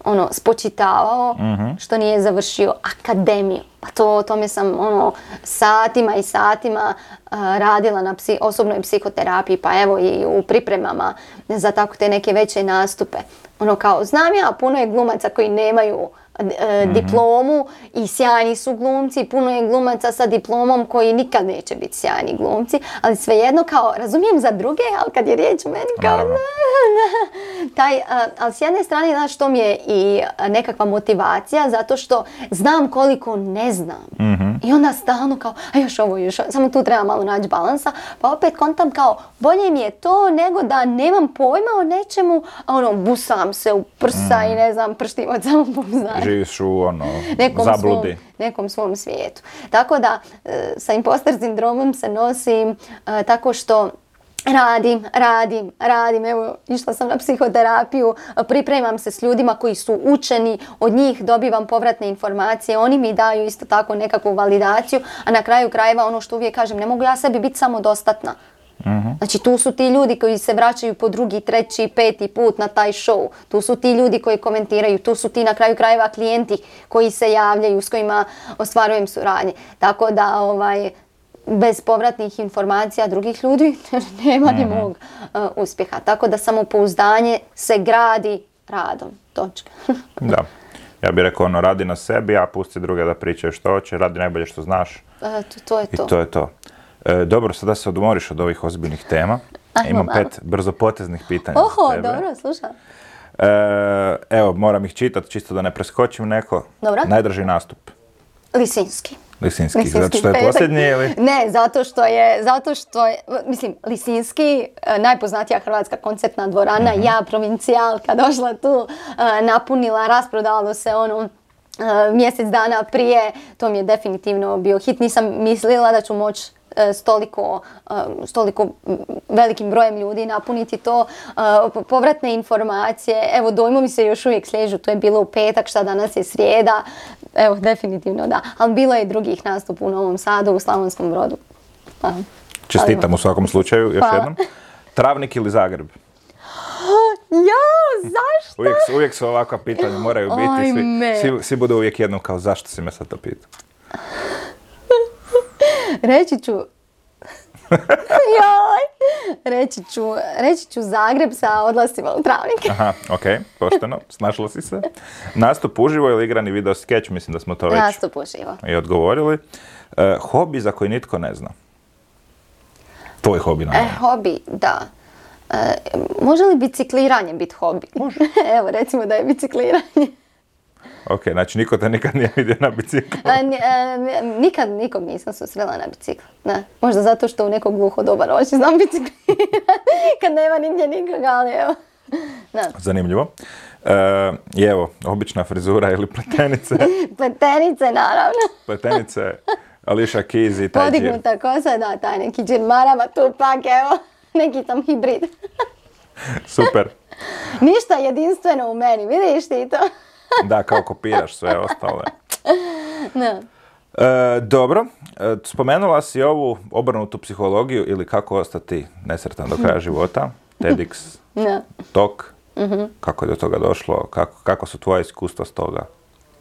ono, spočitavao mm-hmm. što nije završio akademiju. Pa to, tome sam ono, satima i satima uh, radila na psi, osobnoj psihoterapiji, pa evo i u pripremama za tako te neke veće nastupe. Ono kao, znam ja, puno je glumaca koji nemaju uh, mm-hmm. diplomu i sjajni su glumci, puno je glumaca sa diplomom koji nikad neće biti sjajni glumci, ali svejedno kao, razumijem za druge, ali kad je riječ o meni kao... Taj, uh, ali s jedne strane, znaš, to mi je i nekakva motivacija, zato što znam koliko ne znam. Mm-hmm. I onda stalno kao, a još ovo, još ovo, samo tu treba malo naći balansa, pa opet kontam kao, bolje mi je to nego da nemam pojma o nečemu, a ono, busam se u prsa mm. i ne znam, prstim od samopouzdanja. Živiš u ono, nekom zabludi. Svom, nekom svom svijetu. Tako da, sa imposter sindromom se nosim uh, tako što Radim, radim, radim, evo išla sam na psihoterapiju, pripremam se s ljudima koji su učeni, od njih dobivam povratne informacije, oni mi daju isto tako nekakvu validaciju, a na kraju krajeva ono što uvijek kažem, ne mogu ja sebi biti samodostatna. Mm-hmm. Znači tu su ti ljudi koji se vraćaju po drugi, treći, peti put na taj show, tu su ti ljudi koji komentiraju, tu su ti na kraju krajeva klijenti koji se javljaju, s kojima ostvarujem suradnje. Tako da ovaj... bez povratnih informacija drugih ljudi nema ni mog uh, uspjeha. Tako da samopouzdanje se gradi radom. Točka. Da. Ja bih rekao ono, radi na sebi, a pusti druge da pričaju što hoće, radi najbolje što znaš. E, to, to je to. I to je to. E, dobro, sada se odmoriš od ovih ozbiljnih tema. Ajmo, imam malo. pet brzopoteznih pitanja Oho, za tebe. dobro, slušam. E, evo, moram ih čitati, čisto da ne preskočim neko. Dobro. Najdraži nastup? Lisinski. Lisinski, Lisinski zato što je petak. Posljednji ili? Ne, zato što je, zato što je, mislim, Lisinski, najpoznatija hrvatska koncertna dvorana, mm-hmm. ja, provincijalka, došla tu, napunila, rasprodalo se ono, mjesec dana prije, to mi je definitivno bio hit, nisam mislila da ću moći s toliko, s toliko velikim brojem ljudi napuniti to, povratne informacije, evo dojmovi se još uvijek sliježu, to je bilo u petak, šta danas je srijeda, evo definitivno da, ali bilo je drugih nastupa u Novom Sadu, u Slavonskom Brodu. Pa, čestitam u svakom slučaju, još pa. jednom. Travnik ili Zagreb? Ja, zašto? Uvijek, uvijek su ovakva pitanja, moraju biti, svi, svi, svi budu uvijek jednom kao zašto si me sad to pitao? Reći ću, joj, reći ću, reći ću Zagreb sa odlascima u Travnik. Aha, okej, okay, pošteno, snašla si se. Nastup uživo ili igrani video skeč, mislim da smo to već Nastup uživo. I odgovorili. E, hobi za koji nitko ne zna. Tvoj hobi, naravno. E, hobi, da. E, može li bicikliranje biti hobi? Može. Evo, recimo da je bicikliranje. Ok, znači niko te nikad nije vidio na biciklu? A, n, a, nikad nikog nisam susrela na biciklu. Ne. Možda zato što u nekog gluho doba noći znam biciklirati. Kad nema nigdje nikoga, ali evo. Da. Zanimljivo. E, I evo, obična frizura ili pletenice. Pletenice, naravno. Pletenice, Alicia Keys i taj džir. Podignuta kosa, da, taj neki džir marama, tu pak, evo, neki sam hibrid. Super. Ništa jedinstveno u meni, vidiš ti to? Da, kao kopiraš sve ostale. Da. E, dobro, e, spomenula si ovu obrnutu psihologiju ili kako ostati nesretan do kraja života, TEDx, Da. Talk, mm-hmm. kako je do toga došlo, kako, kako su tvoje iskustva s toga?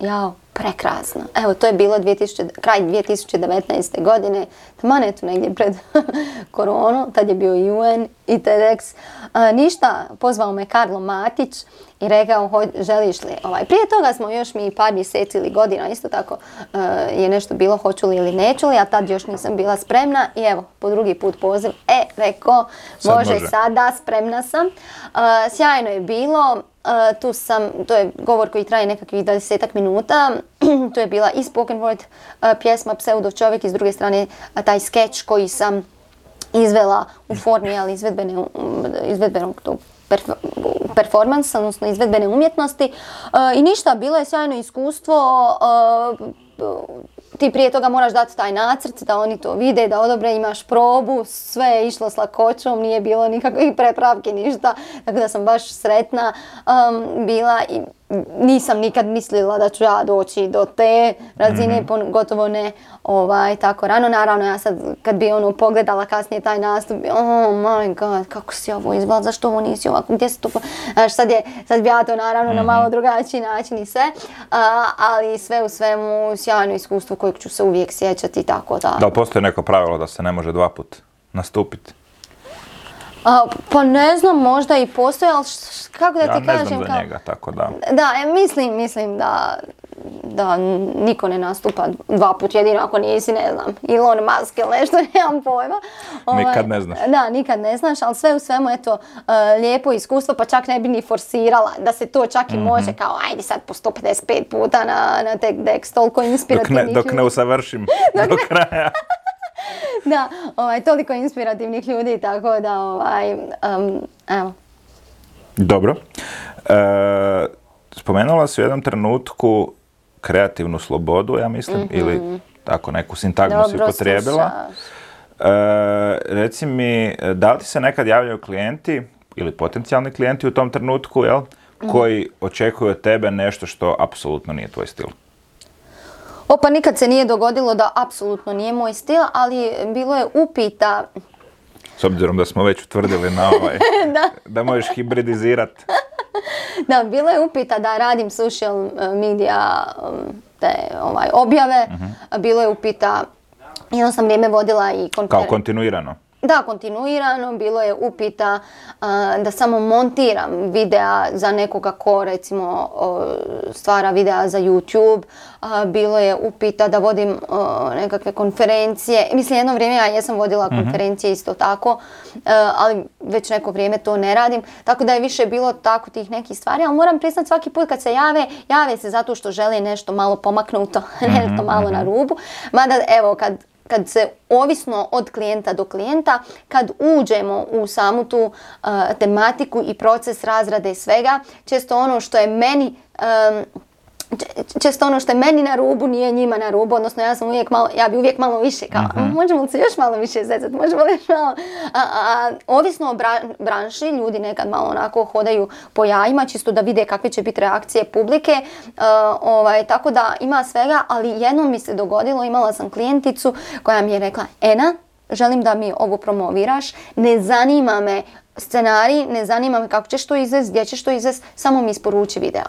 Jao, prekrasno. Evo, to je bilo dvije tisuće, kraj dvije tisuće devetnaeste. godine, taman eto negdje pred koronu, tad je bio i U N i TEDx. A, ništa, pozvao me Karlo Matić i rekao, ho, želiš li, ovaj, prije toga smo još mi par mjeseci ili godina, isto tako uh, je nešto bilo, hoću li ili neću li, a tad još nisam bila spremna i evo, po drugi put poziv, e, rekao, može, može sada, spremna sam. Uh, sjajno je bilo. Uh, tu sam, to je govor koji traje nekakvih dvadesetak minuta, tu je bila i spoken word uh, pjesma Pseudo čovjek i s druge strane uh, taj skeč koji sam izvela u formi, ali izvedbene, um, izvedbenog tog perf- performansa, odnosno izvedbene umjetnosti. Uh, I ništa, bilo je sjajno iskustvo. Uh, ti prije toga moraš dati taj nacrt, da oni to vide, da odobre, imaš probu, sve je išlo s lakoćom, nije bilo nikakvih prepravki, ništa, tako da sam baš sretna um, bila i nisam nikad mislila da ću ja doći do te razine, mm-hmm. gotovo ne ovaj, tako rano. Naravno, ja sad kad bi ono pogledala kasnije taj nastup, oh my god, kako si ovo izgleda, zašto ovo nisi ovako, gdje si to... Znaš, sad, je, sad bi ja to naravno mm-hmm. na malo drugačiji način i sve, a, ali sve u svemu sjajno iskustvo kojeg ću se uvijek sjećati, tako da... Da li postoji neko pravilo da se ne može dva put nastupiti? A, pa ne znam, možda i postoje, ali š, kako da ja ti kažem... Ja ne znam za kao... njega, tako da... Da, e, mislim, mislim da, da niko ne nastupa dva put, jedino ako nisi, ne znam, Elon Musk ili nešto, nemam pojma. Ovaj, nikad ne znaš. Da, nikad ne znaš, ali sve u svemu, eto, uh, lijepo iskustvo, pa čak ne bi ni forsirala da se to čak i mm-hmm. može, kao ajde sad po sto pedeset pet puta na, na TEDx, toliko inspirativnih dok ne, dok ne usavršim do kraja. Da, ovaj, toliko inspirativnih ljudi, tako da, ovaj, um, evo. Dobro. E, spomenula si u jednom trenutku kreativnu slobodu, ja mislim, mm-hmm. ili tako neku sintagmu si upotrijebila. E, reci mi, da li ti se nekad javljaju klijenti ili potencijalni klijenti u tom trenutku, jel, mm-hmm. koji očekuju od tebe nešto što apsolutno nije tvoj stil? Opa, nikad se nije dogodilo da apsolutno nije moj stil, ali bilo je upita... S obzirom da smo već utvrdili na ovaj, da. da možeš hibridizirati. Da, bilo je upita da radim social media te ovaj, objave, uh-huh. bilo je upita, jedno sam vrijeme vodila i konferenciju. Kao kontinuirano? Da, kontinuirano, bilo je upita uh, da samo montiram videa za nekoga ko recimo uh, stvara videa za YouTube, uh, bilo je upita da vodim uh, nekakve konferencije, mislim jedno vrijeme ja jesam vodila mm-hmm. konferencije isto tako, uh, ali već neko vrijeme to ne radim, tako da je više bilo tako tih nekih stvari, ali moram priznati svaki put kad se jave, jave se zato što žele nešto malo pomaknuto, mm-hmm. nešto malo na rubu, mada evo kad kad se ovisno od klijenta do klijenta, kad uđemo u samu tu uh, tematiku i proces razrade svega, često ono što je meni um, često ono što je meni na rubu nije njima na rubu, odnosno ja sam uvijek malo, ja bi uvijek malo više kao, uh-huh. možemo li se još malo više zezati, možemo li još malo, a, a, ovisno o bra, branši, ljudi nekad malo onako hodaju po jajima, čisto da vide kakve će biti reakcije publike, uh, ovaj, tako da ima svega, ali jednom mi se dogodilo, imala sam klijenticu koja mi je rekla, Ena, želim da mi ovo promoviraš, ne zanima me scenarij, ne zanima me kako ćeš to izvesti, gdje ćeš to izvesti, samo mi isporuči video.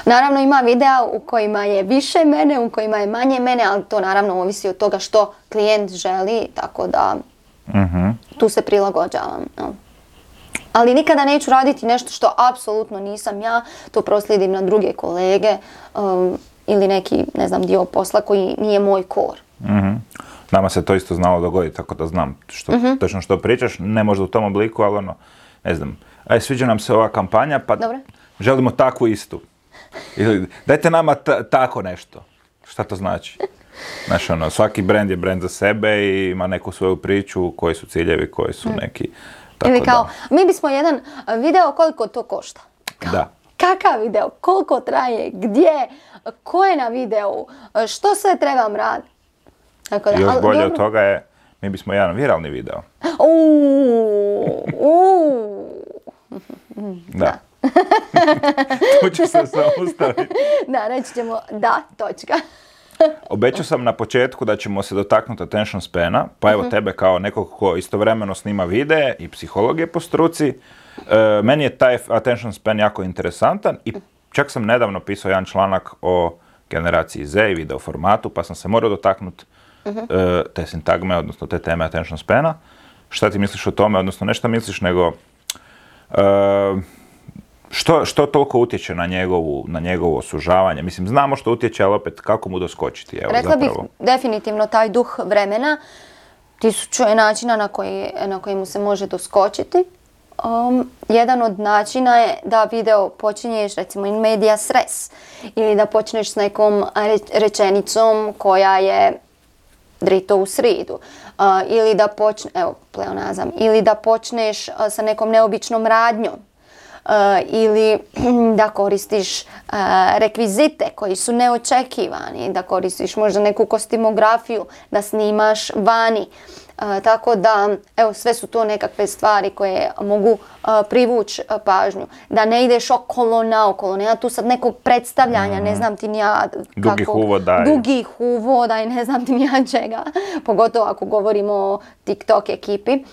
Naravno ima videa u kojima je više mene, u kojima je manje mene, ali to naravno ovisi od toga što klijent želi, tako da mm-hmm. tu se prilagođavam. No. Ali nikada neću raditi nešto što apsolutno nisam ja, to proslijedim na druge kolege um, ili neki, ne znam, dio posla koji nije moj core. Mm-hmm. Nama se to isto znalo dogoditi, tako da znam što, mm-hmm. točno što pričaš, ne možda u tom obliku, ali ono, ne znam, aj sviđa nam se ova kampanja, pa Dobre. želimo takvu istu. Ili dajte nama t- tako nešto. Šta to znači? Znaš, ono, svaki brand je brand za sebe i ima neku svoju priču, koji su ciljevi, koji su neki Tako Ili kao, da. mi bismo jedan video, koliko to košta? Kao, Da. kakav video? Koliko traje? Gdje? Ko je na videu? Što sve trebam raditi? Tako da, Još ali bolje dobro. od toga je, mi bismo jedan viralni video. Uuu, uuu. Da. Tu ću se zaustaviti. Da, reći ćemo da, točka. Obećao sam na početku da ćemo se dotaknuti attention spana, pa evo tebe kao nekog ko istovremeno snima videe i psihologije po struci. E, meni je taj attention span jako interesantan i čak sam nedavno pisao jedan članak o generaciji Z i video formatu, pa sam se morao dotaknuti e, te sintagme, odnosno te teme attention spana. Šta ti misliš o tome, odnosno ne šta misliš, nego e, Što, što toliko utječe na njegovu, na njegovo sužavanje? Mislim, znamo što utječe, ali opet kako mu doskočiti? Evo, Rekla zapravo. bih definitivno taj duh vremena, tisuću je načina na koji, na koji mu se može doskočiti. Um, jedan od načina je da video počinješ recimo in medias res ili da počneš s nekom re- rečenicom koja je drito u sridu. Uh, ili da počne, evo, pleonazam, ili da počneš uh, sa nekom neobičnom radnjom. Uh, ili da koristiš uh, rekvizite koji su neočekivani, da koristiš možda neku kostimografiju, da snimaš vani. Uh, tako da, evo, sve su to nekakve stvari koje mogu uh, privući uh, pažnju. Da ne ideš okolo naokolo, nema tu sad nekog predstavljanja, mm. ne znam ti ni ja Dugih kako, uvoda. Dugih uvoda i ne znam ti ni ja čega. Pogotovo ako govorimo o TikTok ekipi.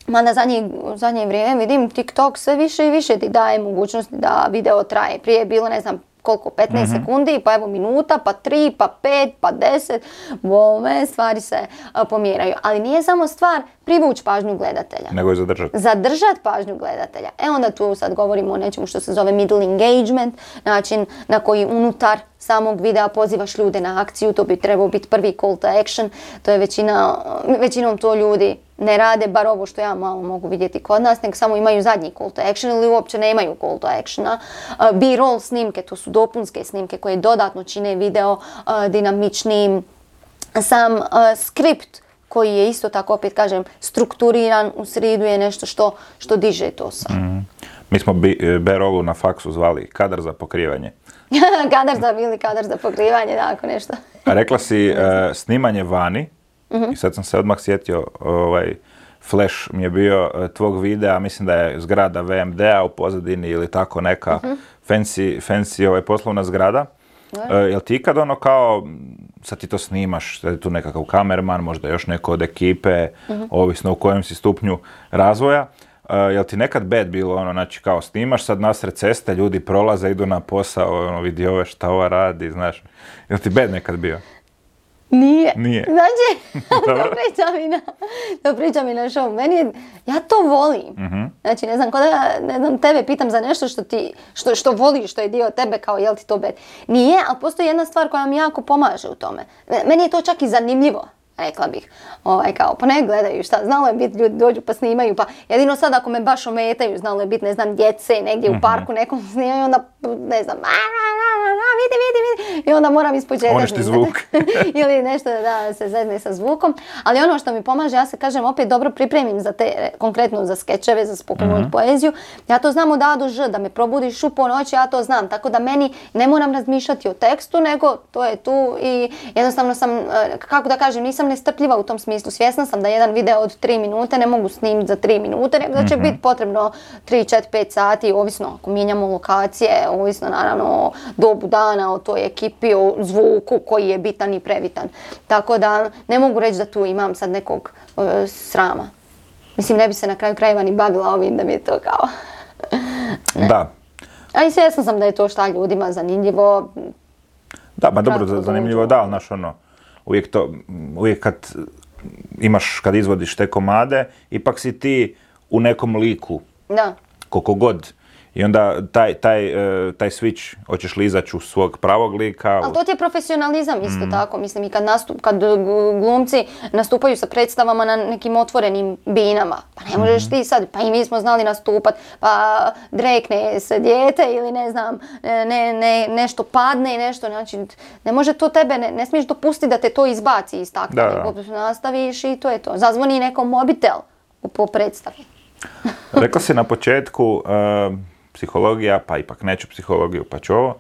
Mada zadnje, zadnje vrijeme vidim TikTok sve više i više ti daje mogućnosti da video traje. Prije je bilo ne znam koliko, petnaest mm-hmm. sekundi, pa evo minuta, pa tri, pa pet, pa deset. Bome, stvari se a, pomjeraju. Ali nije samo stvar privući pažnju gledatelja. Nego je zadržati. Zadržati pažnju gledatelja. E onda tu sad govorimo o nečemu što se zove middle engagement, način na koji unutar samog videa pozivaš ljude na akciju, to bi trebao biti prvi call to action, to je većina, većinom to ljudi ne rade, bar ovo što ja malo mogu vidjeti kod nas, nego samo imaju zadnji call to action ili uopće nemaju call to actiona. Uh, B-roll snimke, to su dopunske snimke koje dodatno čine video uh, dinamičnijim. Sam uh, skript koji je isto tako, opet kažem, strukturiran u sridu je nešto što, što diže to sam. Mm. Mi smo B-rollu na faksu zvali kadar za pokrivanje. Kadar za ili kadar za pokrivanje, tako nešto. A rekla si uh, snimanje vani, mm-hmm. i sad sam se odmah sjetio, ovaj, flash mi je bio uh, tvog videa, mislim da je zgrada V M D-a u pozadini ili tako neka mm-hmm. fancy, fancy ovaj, poslovna zgrada. Uh, jel ti ikad ono kao, sad ti to snimaš, sad je tu nekakav kamerman, možda još neko od ekipe, mm-hmm. ovisno u kojem si stupnju razvoja. Uh, jel ti nekad bad bilo ono, znači kao snimaš sad nasred ceste, ljudi prolaze, idu na posao, ono, vidi ove šta ova radi, znaš. Jel ti bad nekad bio? Nije. Nije. Znači, to priča mi na, to priča mi na show. Meni je, ja to volim. Mm-hmm. Znači, ne znam, kod da, ne znam, tebe pitam za nešto što ti, što, što voliš, što je dio tebe, kao jel ti to bad. Nije, ali postoji jedna stvar koja mi jako pomaže u tome. Meni je to čak i zanimljivo. Rekla bih, ovaj, kao, pa ne gledaju šta, znalo je biti, ljudi dođu pa snimaju, pa jedino sad ako me baš ometaju, znalo je biti, ne znam, djece negdje mm-hmm. u parku nekom snimaju, onda, ne znam, a, a, a, a, vidi, vidi, vidi, i onda moram ispočetak. Uništi zvuk. Ili nešto da se zezne sa zvukom, ali ono što mi pomaže, ja se kažem, opet dobro pripremim za te, konkretno za skečeve, za spoken word mm-hmm. poeziju, ja to znam od A do Ž, da me probudiš u ponoći, ja to znam, tako da meni ne moram razmišljati o tekstu, nego to je tu i jednostavno sam, kako da kažem, nisam nestrpljiva u tom smislu. Svjesna sam da jedan video od tri minute ne mogu snimiti za tri minute, nego da će mm-hmm. biti potrebno tri, četiri, pet sati, ovisno ako mijenjamo lokacije, ovisno naravno o dobu dana, o toj ekipi, o zvuku koji je bitan i prebitan. Tako da ne mogu reći da tu imam sad nekog uh, srama. Mislim, ne bi se na kraju krajeva ni bavila ovim da mi je to kao... Da. A i svjesna sam da je to šta ljudima zanimljivo. Da, ba dobro, zanimljivo da, ali znaš ono, uvijek to, uvijek kad imaš, kad izvodiš te komade, ipak si ti u nekom liku. Da. Koliko god. I onda taj, taj, taj switch, hoćeš li izaći u svog pravog lika. Ali to ti je profesionalizam isto mm. tako. Mislim, i kad, nastup, kad glumci nastupaju sa predstavama na nekim otvorenim binama, pa ne možeš mm. ti sad, pa i mi smo znali nastupat, pa drekne se dijete ili ne znam, ne, ne, nešto padne i nešto, znači ne može to tebe, ne, ne smiješ dopustiti da te to izbaci iz takta, nego nastaviš i to je to. Zazvoni nekom mobitel po predstavi. Rekla si na početku uh, psihologija, pa ipak neću psihologiju, pa ću ovo.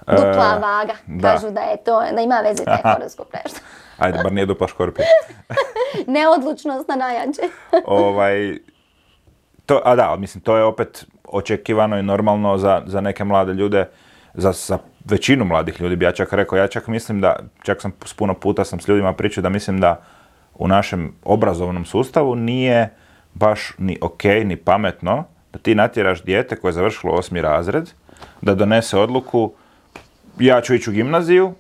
Uh, Dupla vaga, da. kažu da je to, da ima veze taj horoskop nešto. Ajde, bar nije dupla škorpija. Neodlučnost na najjače. ovaj, to, a da, mislim, to je opet očekivano i normalno za, za neke mlade ljude, za, za većinu mladih ljudi bi ja čak rekao, ja čak mislim da, čak sam puno puta sam s ljudima pričao da mislim da u našem obrazovnom sustavu nije baš ni ok, ni pametno da ti natjeraš dijete koje je završilo osmi razred, da donese odluku ja ću ići u gimnaziju,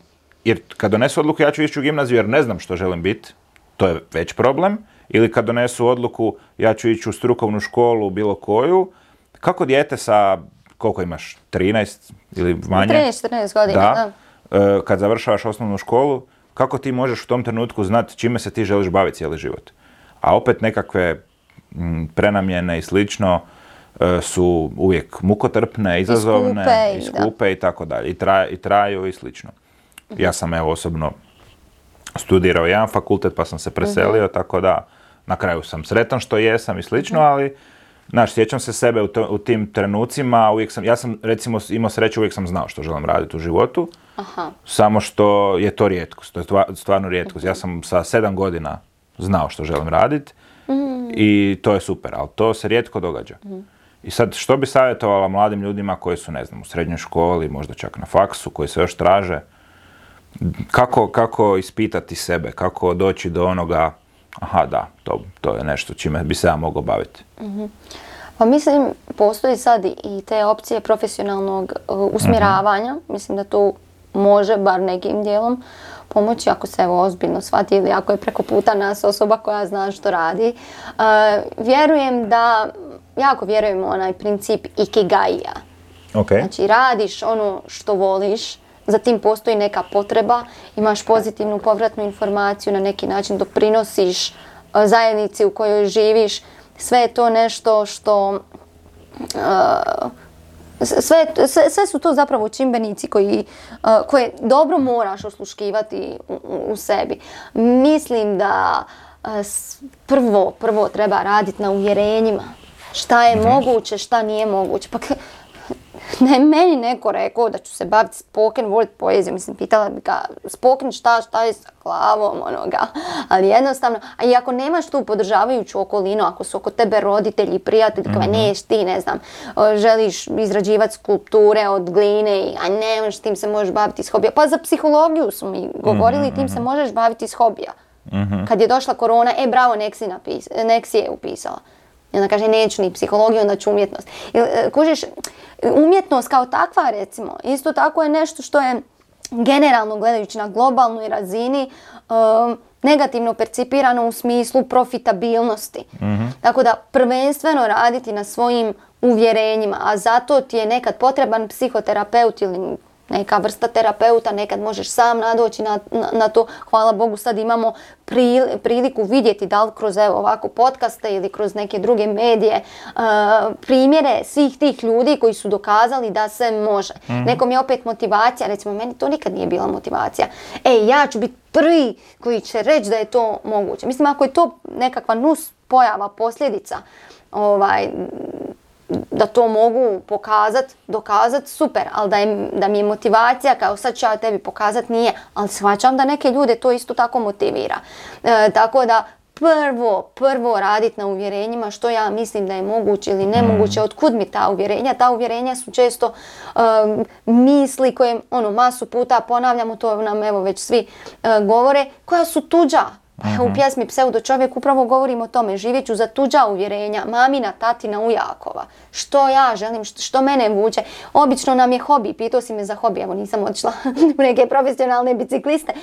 jer kad donesu odluku ja ću ići u gimnaziju jer ne znam što želim biti, to je već problem, ili kad donesu odluku ja ću ići u strukovnu školu bilo koju, kako dijete sa, koliko imaš, trinaest ili manje? trinaest četrnaest godina, da. da. Kad završavaš osnovnu školu, kako ti možeš u tom trenutku znati čime se ti želiš baviti cijeli život? A opet nekakve m, prenamjene i slično su uvijek mukotrpne, izazovne, i skupe, i, skupe i tako dalje. I, traj, I traju i slično. Ja sam evo osobno studirao jedan fakultet pa sam se preselio, uh-huh. tako da na kraju sam sretan što jesam i slično, uh-huh. ali znaš, sjećam se sebe u, to, u tim trenucima, uvijek sam, ja sam recimo imao sreću, uvijek sam znao što želim raditi u životu, Aha. samo što je to rijetkost, to je stvarno rijetkost. Uh-huh. Ja sam sa sedam godina znao što želim raditi uh-huh. i to je super, ali to se rijetko događa. Uh-huh. I sad, što bi savjetovala mladim ljudima koji su, ne znam, u srednjoj školi, možda čak na faksu, koji se još traže, kako, kako ispitati sebe, kako doći do onoga, aha da, to, to je nešto čime bi se ja mogao baviti. Mm-hmm. Pa mislim, postoji sad i te opcije profesionalnog uh, usmjeravanja, mm-hmm. mislim da to može bar nekim dijelom pomoći ako se evo ozbiljno shvati ili ako je preko puta nas osoba koja zna što radi. Uh, vjerujem da, jako vjerujem u onaj princip ikigaija. Okay. Znači radiš ono što voliš, za tim postoji neka potreba, imaš pozitivnu povratnu informaciju, na neki način doprinosiš uh, zajednici u kojoj živiš. Sve je to nešto što... Uh, Sve, sve, sve su to zapravo čimbenici koji, uh, koje dobro moraš osluškivati u, u sebi. Mislim da uh, prvo, prvo treba raditi na uvjerenjima. Šta je moguće, šta nije moguće. Pa ne, meni neko rekao da ću se baviti spoken word poezijom. Mislim, pitala bi ga spoken šta, šta je sa glavom onoga. Ali jednostavno, a i ako nemaš tu podržavajuću okolinu, ako su oko tebe roditelji i prijatelji, mm-hmm. neš ti, ne znam, želiš izrađivati skulpture od gline, i, a nemaš, tim se možeš baviti iz hobija. Pa za psihologiju su mi govorili, mm-hmm. tim se možeš baviti iz hobija. Mm-hmm. Kad je došla korona, e bravo, nek si, napis, nek si je upisala. I onda kaže, neću ni psihologiju, onda ću umjetnost. Kužiš, umjetnost kao takva, recimo, isto tako je nešto što je generalno gledajući na globalnoj razini um, negativno percipirano u smislu profitabilnosti. Mm-hmm. Tako da prvenstveno raditi na svojim uvjerenjima, a zato ti je nekad potreban psihoterapeut ili neka vrsta terapeuta, nekad možeš sam nadoći na, na, na to. Hvala Bogu, sad imamo pril, priliku vidjeti da li kroz evo, ovako podcaste ili kroz neke druge medije uh, primjere svih tih ljudi koji su dokazali da se može. Mm-hmm. Nekom je opet motivacija, recimo meni to nikad nije bila motivacija. Ej, ja ću biti prvi koji će reći da je to moguće. Mislim, ako je to nekakva nus pojava, posljedica, ovaj, da to mogu pokazat, dokazat, super, ali da, je, da mi je motivacija kao sad ću ja tebi pokazat, nije, ali shvaćam da neke ljude to isto tako motivira. E, tako da prvo, prvo raditi na uvjerenjima što ja mislim da je moguće ili nemoguće, mm. otkud mi ta uvjerenja. Ta uvjerenja su često um, misli koje ono, masu puta ponavljamo, to nam evo već svi uh, govore, koja su tuđa. Uh-huh. U pjesmi Pseudo čovjek upravo govorimo o tome, živjet ću za tuđa uvjerenja, mamina, tatina, ujakova. Što ja želim, što, što mene vuče. Obično nam je hobi, pitao si me za hobi, evo nisam otišla u neke profesionalne bicikliste.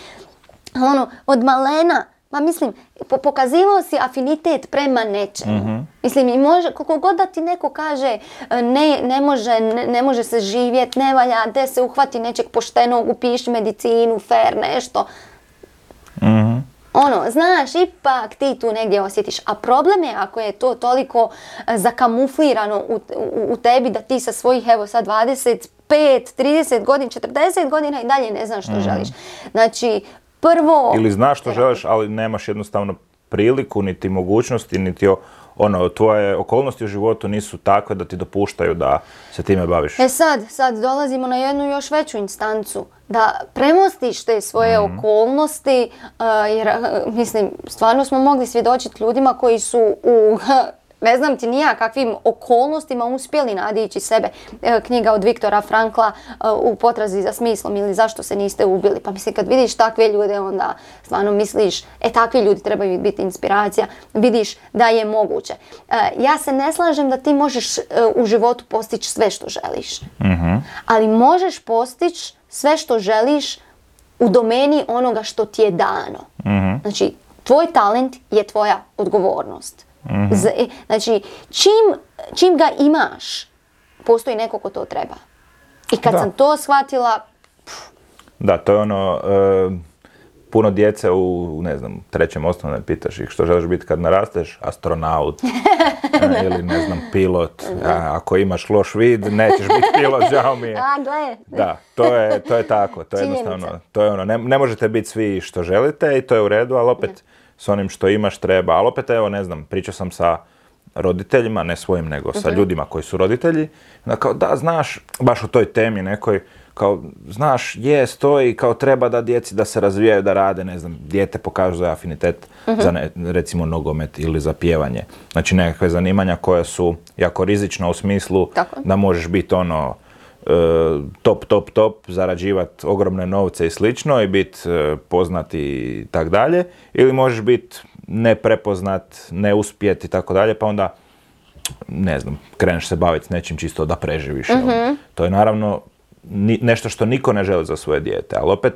Ono, od malena, ma mislim, po- pokazivao si afinitet prema nečemu. Uh-huh. Mislim, i može, koliko god da ti neko kaže ne, ne, može, ne, ne može se živjeti, ne valja, de se uhvati nečeg poštenog, upiši medicinu, fair, nešto. Mhm. Ono, znaš, ipak ti tu negdje osjetiš. A problem je ako je to toliko zakamuflirano u, u, u tebi da ti sa svojih, evo sad dvadeset pet, trideset godina, četrdeset godina i dalje ne znaš što mm. želiš. Znači, prvo... Ili znaš što želiš, ali nemaš jednostavno priliku, niti mogućnosti, niti o, ono, tvoje okolnosti u životu nisu takve da ti dopuštaju da se time baviš. E sad, sad dolazimo na jednu još veću instancu. Da premostiš te svoje mm. okolnosti, uh, jer, uh, mislim, stvarno smo mogli svjedočiti ljudima koji su u, ne znam ti nija kakvim okolnostima uspjeli nadići sebe. E, knjiga od Viktora Frankla uh, u potrazi za smislom ili zašto se niste ubili. Pa mislim, kad vidiš takve ljude, onda stvarno misliš, e, takvi ljudi trebaju biti inspiracija. Vidiš da je moguće. Uh, ja se ne slažem da ti možeš uh, u životu postići sve što želiš. Mm-hmm. Ali možeš postići sve što želiš u domeni onoga što ti je dano. Mm-hmm. Znači, tvoj talent je tvoja odgovornost. Mm-hmm. Znači, čim, čim ga imaš, postoji neko ko to treba. I kad da. sam to shvatila... Pff. Da, to je ono... Uh, puno djece u, ne znam, trećem osnovne pitaš ih što želiš biti kad narasteš, astronaut ne, ili ne znam, pilot. A, ako imaš loš vid, nećeš biti pilot, žao mi je. A, gle. Da, to je, to je tako, to je jednostavno, to je ono, ne, ne možete biti svi što želite i to je u redu, ali opet ne. S onim što imaš treba, ali opet evo, ne znam, pričao sam sa roditeljima, ne svojim, nego sa uh-huh. ljudima koji su roditelji, da kao da, znaš, baš u toj temi nekoj, kao, znaš, je, stoji, kao treba da djeci da se razvijaju, da rade, ne znam, dijete pokažu za afinitet uh-huh. za, ne, recimo, nogomet ili za pjevanje. Znači, nekakve zanimanja koja su jako rizična u smislu tako. Da možeš biti ono, e, top, top, top, zarađivati ogromne novce i slično i biti e, poznat i tak dalje, ili možeš biti neprepoznat, ne uspjeti i tako dalje, pa onda, ne znam, kreneš se baviti s nečim čisto da preživiš. Uh-huh. To je naravno Ni, nešto što niko ne želi za svoje dijete, ali opet,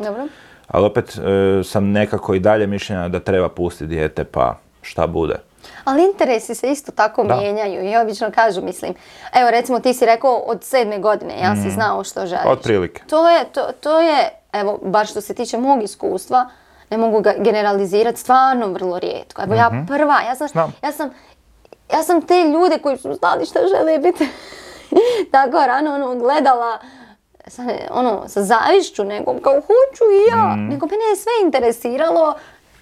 ali opet e, sam nekako i dalje mišljenja da treba pustiti dijete pa šta bude. Ali interesi se isto tako da. mijenjaju i obično kažu, mislim, evo recimo ti si rekao od sedme godine, ja mm. si znao što želiš. Otprilike. To je, to, to je, evo, bar što se tiče mog iskustva, ne mogu ga generalizirati, stvarno vrlo rijetko. Evo mm-hmm. ja prva, ja sam, ja sam, ja sam te ljude koji su znali što žele biti tako rano ono, gledala, sa, ono, sa zavišću nekom, kao hoću i ja, mm. nego mene je sve interesiralo,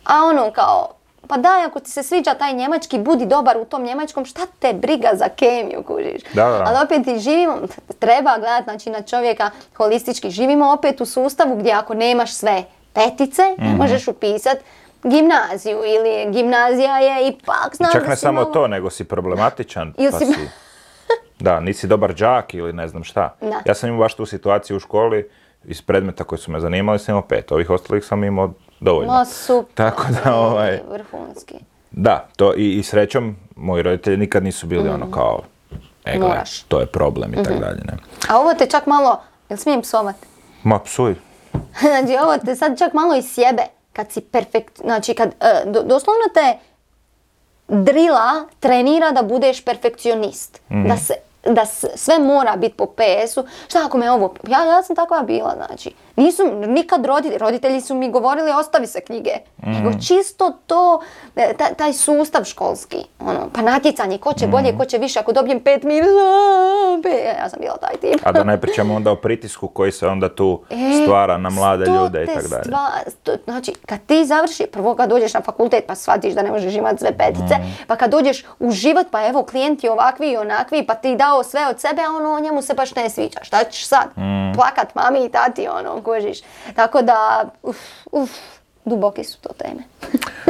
a ono kao, pa daj, ako ti se sviđa taj njemački, budi dobar u tom njemačkom, šta te briga za kemiju, kužiš. Da, da. Ali opet i živimo, treba gledati znači, na čovjeka holistički, živimo opet u sustavu gdje ako nemaš sve petice, mm-hmm. ne možeš upisati gimnaziju ili gimnazija je ipak, znaš čak da ne si samo malo... to, nego si problematičan, pa si... si... Da, nisi dobar đak ili ne znam šta. Da. Ja sam imao baš tu situaciju u školi, iz predmeta koji su me zanimali sam imao pet, ovih ostalih sam imao dovoljno. No super, tako da, ovaj, vrhunski. Da, to i, i srećom, moji roditelji nikad nisu bili mm. ono kao, e gle, to je problem i mm-hmm. tako dalje. Ne. A ovo te čak malo, jel smijem psovati? Ma psuj. Znači ovo te sad čak malo iz sjebe, kad si perfekt, znači kad uh, do, doslovno te drila trenira da budeš perfekcionist, mm. da se da sve mora biti po pe esu. Šta ako me ovo... Ja, ja sam takva bila, znači. Nisu nikad roditelji, roditelji su mi govorili ostavi se knjige. Mm. Nego čisto to, taj, taj sustav školski. Ono, pa natjecanje, ko će mm. bolje, ko će više. Ako dobijem pet minus, ja sam bila taj tip. A da ne pričamo onda o pritisku koji se onda tu e, stvara na mlade ljude i tako dalje. Stva, sto, znači, kad ti završi, prvo kad dođeš na fakultet pa shvatiš da ne možeš imati sve petice, mm. pa kad dođeš u život, pa evo klijenti ovakvi i onakvi, pa ti dao sve od sebe, a ono njemu se baš ne sviđa. Šta ćeš sad? Mm. Plakat mami i tati, ono, kužiš. Tako da, uf, uf, duboki su to teme.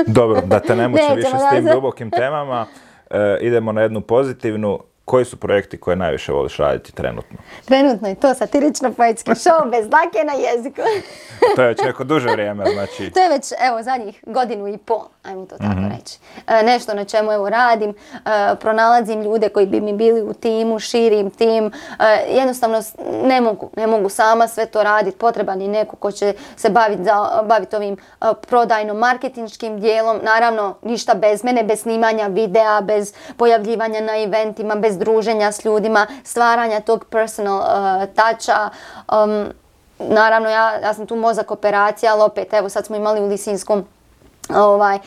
Dobro, da te ne mučim više s tim dubokim temama, e, idemo na jednu pozitivnu. Koji su projekti koje najviše voliš raditi trenutno? Trenutno je to satirično-poetski show bez dlake na jeziku. To je već neko duže vrijeme, znači... To je već, evo, zadnjih godinu i pol, ajmo to tako mm-hmm. reći. E, nešto na čemu, evo, radim, e, pronalazim ljude koji bi mi bili u timu, širim tim. E, jednostavno, ne mogu, ne mogu sama sve to raditi. Potreban je neko ko će se baviti bavit ovim e, prodajno-marketinškim dijelom. Naravno, ništa bez mene, bez snimanja videa, bez pojavljivanja na eventima, bez druženja s ljudima, stvaranja tog personal uh, toucha. Um, naravno, ja, ja sam tu mozak operacija, ali opet, evo sad smo imali u Lisinskom Ovaj,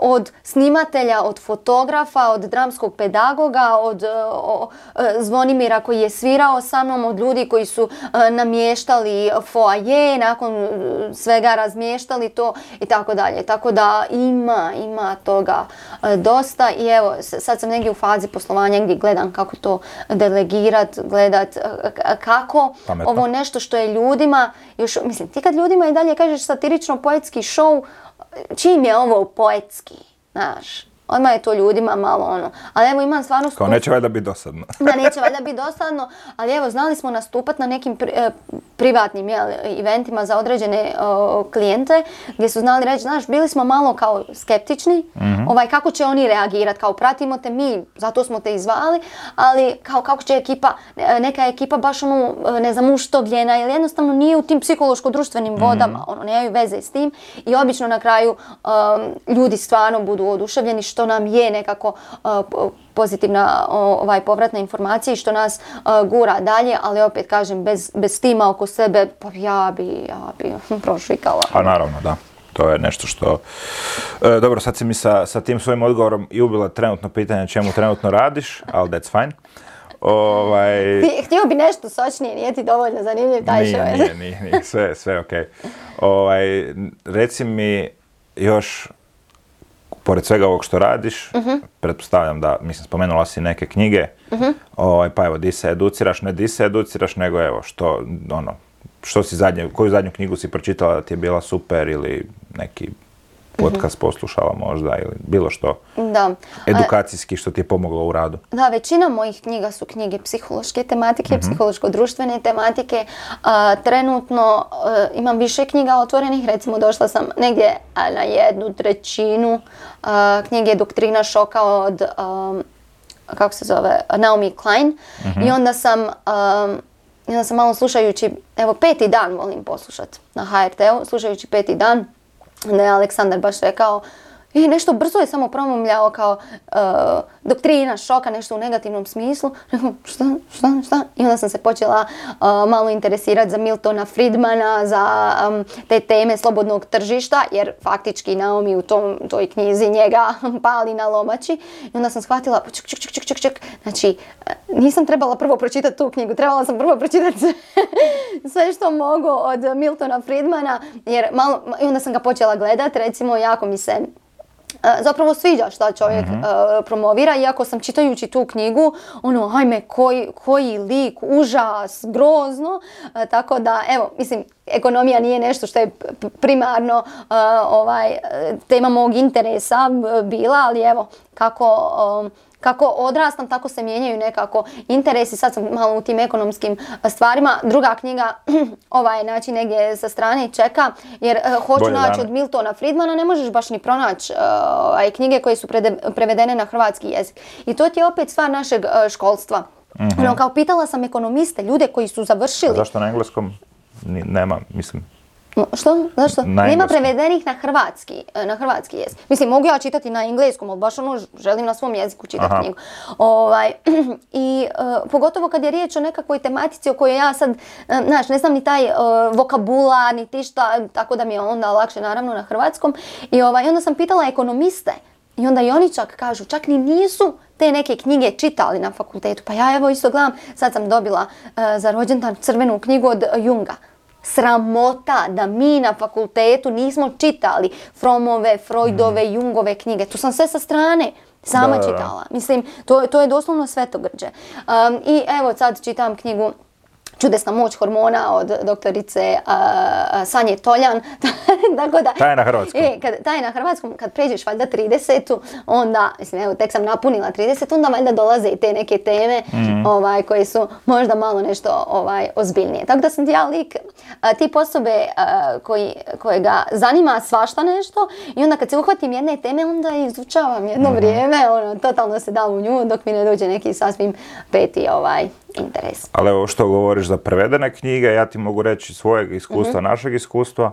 od snimatelja, od fotografa, od dramskog pedagoga, od o, Zvonimira koji je svirao sa mnom, od ljudi koji su namještali foaje, nakon svega razmještali to i tako dalje. Tako da ima, ima toga dosta i evo, sad sam negdje u fazi poslovanja gdje gledam kako to delegirat, gledat kako Pametno. Ovo nešto što je ljudima, još, mislim, ti kad ljudima i dalje kažeš satirično-poetski show, čim je ovo poetski, znaš, odmah je to ljudima malo ono, ali evo imam stvarno... Kao neće valjda biti dosadno. Da, neće valjda biti dosadno, ali evo znali smo nastupati na nekim pri, eh, privatnim jel, eventima za određene uh, klijente, gdje su znali reći, znaš, bili smo malo kao skeptični, mm-hmm. ovaj, kako će oni reagirati, kao pratimo te mi, zato smo te izvali, ali kao kako će ekipa, neka ekipa baš ono, ne znam, uštogljena ili jednostavno nije u tim psihološko-društvenim vodama, mm-hmm. ono, nemaju veze s tim i obično na kraju um, ljudi stvarno budu oduševljeni što nam je nekako uh, pozitivna ovaj, povratna informacija i što nas uh, gura dalje, ali opet kažem, bez, bez tima oko sebe, pa ja bi, ja bi prošvikala. A naravno, da. To je nešto što... E, dobro, sad si mi sa, sa tim svojim odgovorom i ubila trenutno pitanje čemu trenutno radiš, ali that's fine. Ovaj... Htio bi nešto sočnije, nije ti dovoljno zanimljiv taj nije, šovjet. Nije, nije, nije, sve, sve ok. Ovaj, reci mi još, pored svega ovog što radiš, uh-huh. pretpostavljam da, mislim, spomenula si neke knjige, uh-huh. ovaj, pa evo, di se educiraš, ne di se educiraš, nego evo, što, ono, što si zadnje, koju zadnju knjigu si pročitala da ti je bila super ili neki podcast poslušala možda ili bilo što da. edukacijski što ti je pomoglo u radu? Da, većina mojih knjiga su knjige psihološke tematike, mm-hmm. psihološko-društvene tematike. A, trenutno a, imam više knjiga otvorenih, recimo došla sam negdje a, na jednu trećinu a, knjige Doktrina šoka od, a, kako se zove, Naomi Klein. Mm-hmm. I onda sam... A, I onda sam malo slušajući, evo peti dan volim poslušati na ha er te u, slušajući peti dan, da je Aleksandar baš rekao, i nešto brzo je samo promumljao kao uh, doktrina šoka, nešto u negativnom smislu. Rekao, šta, šta, šta? I onda sam se počela uh, malo interesirati za Miltona Friedmana, za um, te teme slobodnog tržišta, jer faktički Naomi u tom, toj knjizi njega pali na lomači. I onda sam shvatila, ček, ček, ček, ček, ček. Znači, nisam trebala prvo pročitati tu knjigu, trebala sam prvo pročitati sve, sve što mogu od Miltona Friedmana, jer malo, i onda sam ga počela gledati, recimo, jako mi se zapravo sviđa šta čovjek mm-hmm. uh, promovira, iako sam čitajući tu knjigu, ono, hajme, koji, koji lik, užas, grozno, uh, tako da, evo, mislim, ekonomija nije nešto što je primarno uh, ovaj, tema mog interesa bila, ali evo, kako... Um, Kako odrastam, tako se mijenjaju nekako interesi. Sad sam malo u tim ekonomskim stvarima. Druga knjiga, ova je naći negdje sa strane i čeka, jer uh, hoću Bolje naći od Miltona Friedmana, ne možeš baš ni pronaći uh, knjige koje su prede, prevedene na hrvatski jezik. I to ti je opet stvar našeg uh, školstva. Mm-hmm. Ono, kao pitala sam ekonomiste, ljude koji su završili... A zašto na engleskom nema, mislim... Što? Zašto? Nema prevedenih na hrvatski, na hrvatski jezik. Mislim, mogu ja čitati na engleskom, ali baš ono želim na svom jeziku čitati Aha. knjigu. Ovaj, I uh, pogotovo kad je riječ o nekakvoj tematici o kojoj ja sad, uh, znaš, ne znam ni taj uh, vokabular, ni ti šta, tako da mi je onda lakše naravno na hrvatskom. I ovaj, onda sam pitala ekonomiste i onda i oni čak kažu, čak ni nisu te neke knjige čitali na fakultetu. Pa ja evo isto gledam, sad sam dobila uh, za rođendan crvenu knjigu od Junga. Sramota da mi na fakultetu nismo čitali Fromove, Freudove, mm. Jungove knjige. Tu sam sve sa strane sama da, čitala. Mislim, to, to je doslovno svetogrđe. Um, I evo sad čitam knjigu Čudesna moć hormona od doktorice uh, Sanje Toljan. Tako da, taj je na hrvatskom. E, kad, taj je na hrvatskom, kad pređeš valjda tridesetu, onda, mislim, evo, tek sam napunila trideset, onda valjda dolaze i te neke teme mm. ovaj, koje su možda malo nešto ovaj, ozbiljnije. Tako da sam ti ja lik, a, tip osobe a, koji, koje ga zanima svašta nešto i onda kad se uhvatim jedne teme, onda izučavam jedno mm. vrijeme, ono, totalno se dam u nju dok mi ne dođe neki sasvim peti ovaj, interes. Ali evo što govoriš za prevedene knjige, ja ti mogu reći svojeg iskustva, mm-hmm. našeg iskustva.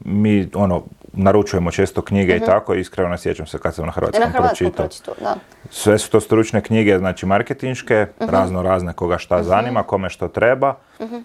Mi, ono, naručujemo često knjige mm-hmm. i tako, iskreno ne sjećam se kad sam na hrvatskom, na hrvatskom pročitao. Da. Sve su to stručne knjige, znači marketinške, mm-hmm. razno razne koga šta mm-hmm. zanima, kome što treba. Mm-hmm.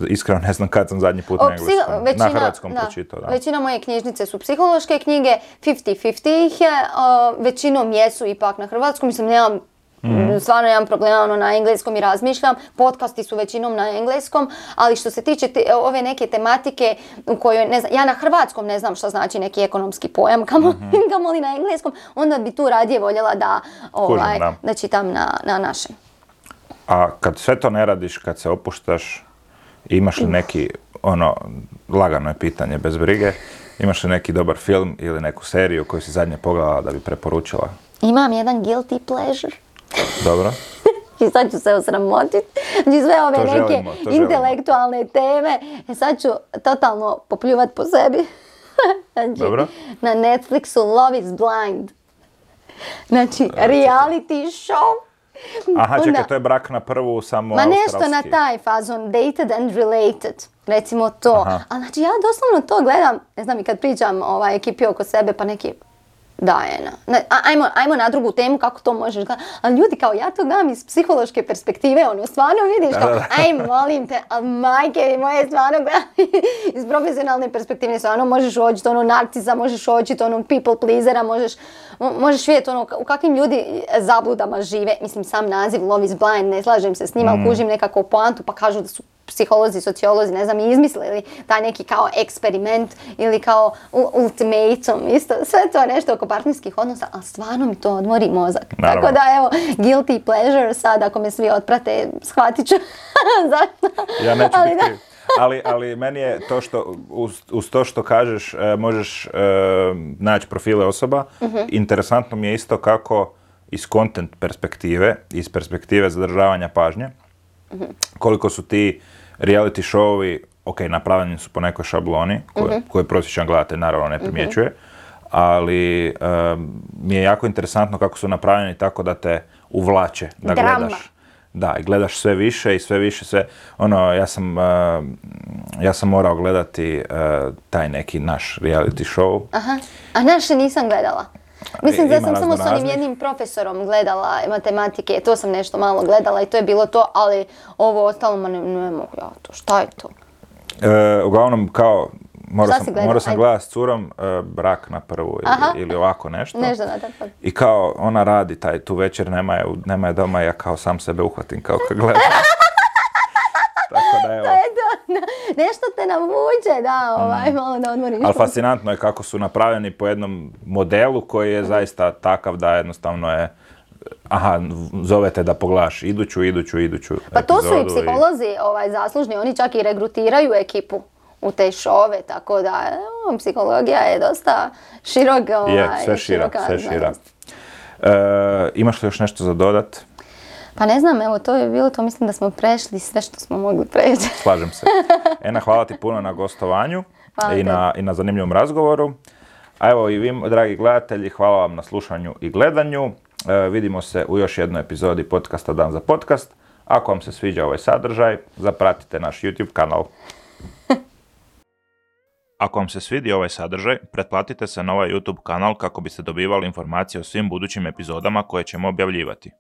iskreno ne znam kad sam zadnji put O, na engleskom. psiho- većina, na hrvatskom da, pročitao, da. Većina moje knjižnice su psihološke knjige, pedeset pedeset ih je, o, većinom jesu ipak na hrvatskom, mislim nemam, mm. stvarno nemam problema ono, na engleskom i razmišljam, podcasti su većinom na engleskom, ali što se tiče te, ove neke tematike u kojoj, ne znam, ja na hrvatskom ne znam što znači neki ekonomski pojam, kamo, mm-hmm. kamoli na engleskom, onda bi tu radije voljela da, ovaj, Kužim, da. da čitam na, na našem. A kad sve to ne radiš, kad se opuštaš, imaš li neki, ono, lagano je pitanje, bez brige, imaš li neki dobar film ili neku seriju koju si zadnje pogledala da bi preporučila? Imam jedan guilty pleasure. Dobro. I sad ću se osramotiti. Znači sve ove To neke želimo, to želimo. intelektualne teme. E sad ću totalno popljuvat po sebi. Znači, Dobro. na Netflixu Love is Blind. Znači, reality show. Aha, Onda- čekaj, to je Brak na prvu, samo Ma nešto australski. na taj fazon, dated and related, recimo to. Aha. A znači ja doslovno to gledam, ne znam i kad pričam ovaj, ekipi oko sebe, pa neki, Dajena, ne, a- ajmo, ajmo na drugu temu kako to možeš gledati. Ali ljudi kao ja to gledam iz psihološke perspektive, ono stvarno vidiš kao, Da, da. aj molim te, ali majke mi moje stvarno gledam iz profesionalne perspektive, stvarno možeš očiti ono narcisa, možeš očiti ono people pleasera, možeš, mo- možeš vidjeti ono u kakvim ljudi zabludama žive. Mislim sam naziv Love is Blind, ne slažem se s njima, ali kužim nekako poantu pa kažu da su psiholozi, sociolozi, ne znam, i izmislili taj neki kao eksperiment ili kao u- ultimatum, isto, sve to nešto oko partnerskih odnosa, ali stvarno mi to odmori mozak. Naravno. Tako da evo, guilty pleasure, sad ako me svi otprate, shvatit ću zašto. Ja neću Ali biti da. kriv. Ali, ali meni je to što, uz, uz to što kažeš, e, možeš e, naći profile osoba. Interesantno mi je isto kako iz content perspektive, iz perspektive zadržavanja pažnje, koliko su ti reality showovi, ok, napravljeni su po nekoj šabloni, koje, koje prosječan gledatelj naravno ne primjećuje, ali e, mi je jako interesantno kako su napravljeni tako da te uvlače, da Drama. gledaš. Da, i gledaš sve više i sve više, sve, ono, ja sam, uh, ja sam morao gledati uh, taj neki naš reality show. Aha, a naše nisam gledala. Mislim da Ima sam samo s onim raznoraznih. jednim profesorom gledala matematike, to sam nešto malo gledala i to je bilo to, ali ovo ostalo, ma ne, ne mogu ja to, šta je to? Uh, uglavnom, kao, morao Šta sam, si gledala? morao sam Ajde. gledati s curom uh, Brak na prvu Aha. ili, ili ovako nešto. Nešto na tako. I kao, ona radi taj, tu večer, nema je, u- nema je doma, ja kao sam sebe uhvatim kao kad gledam. Tako da evo. To je to, na- nešto te navuče, da, ovaj, malo da odmoriš. Ali fascinantno je kako su napravljeni po jednom modelu koji je zaista takav da jednostavno je, aha, zovete da pogledaš iduću, iduću, iduću Pa to su i epizodu psiholozi ovaj, zaslužni, oni čak i regrutiraju ekipu u te šove, tako da evo, psihologija je dosta širok, ovaj, Je, sve šira, široka sve šira. znanost. E, imaš li još nešto za dodat? Pa ne znam, evo to je bilo to, mislim da smo prešli sve što smo mogli preći. Slažem se. Ena, hvala ti puno na gostovanju Hvala i na, i na zanimljivom razgovoru. A evo i vi, dragi gledatelji, hvala vam na slušanju i gledanju. E, vidimo se u još jednoj epizodi podcasta Dan za podcast. Ako vam se sviđa ovaj sadržaj, zapratite naš YouTube kanal. Ako vam se svidi ovaj sadržaj, pretplatite se na ovaj YouTube kanal kako biste dobivali informacije o svim budućim epizodama koje ćemo objavljivati.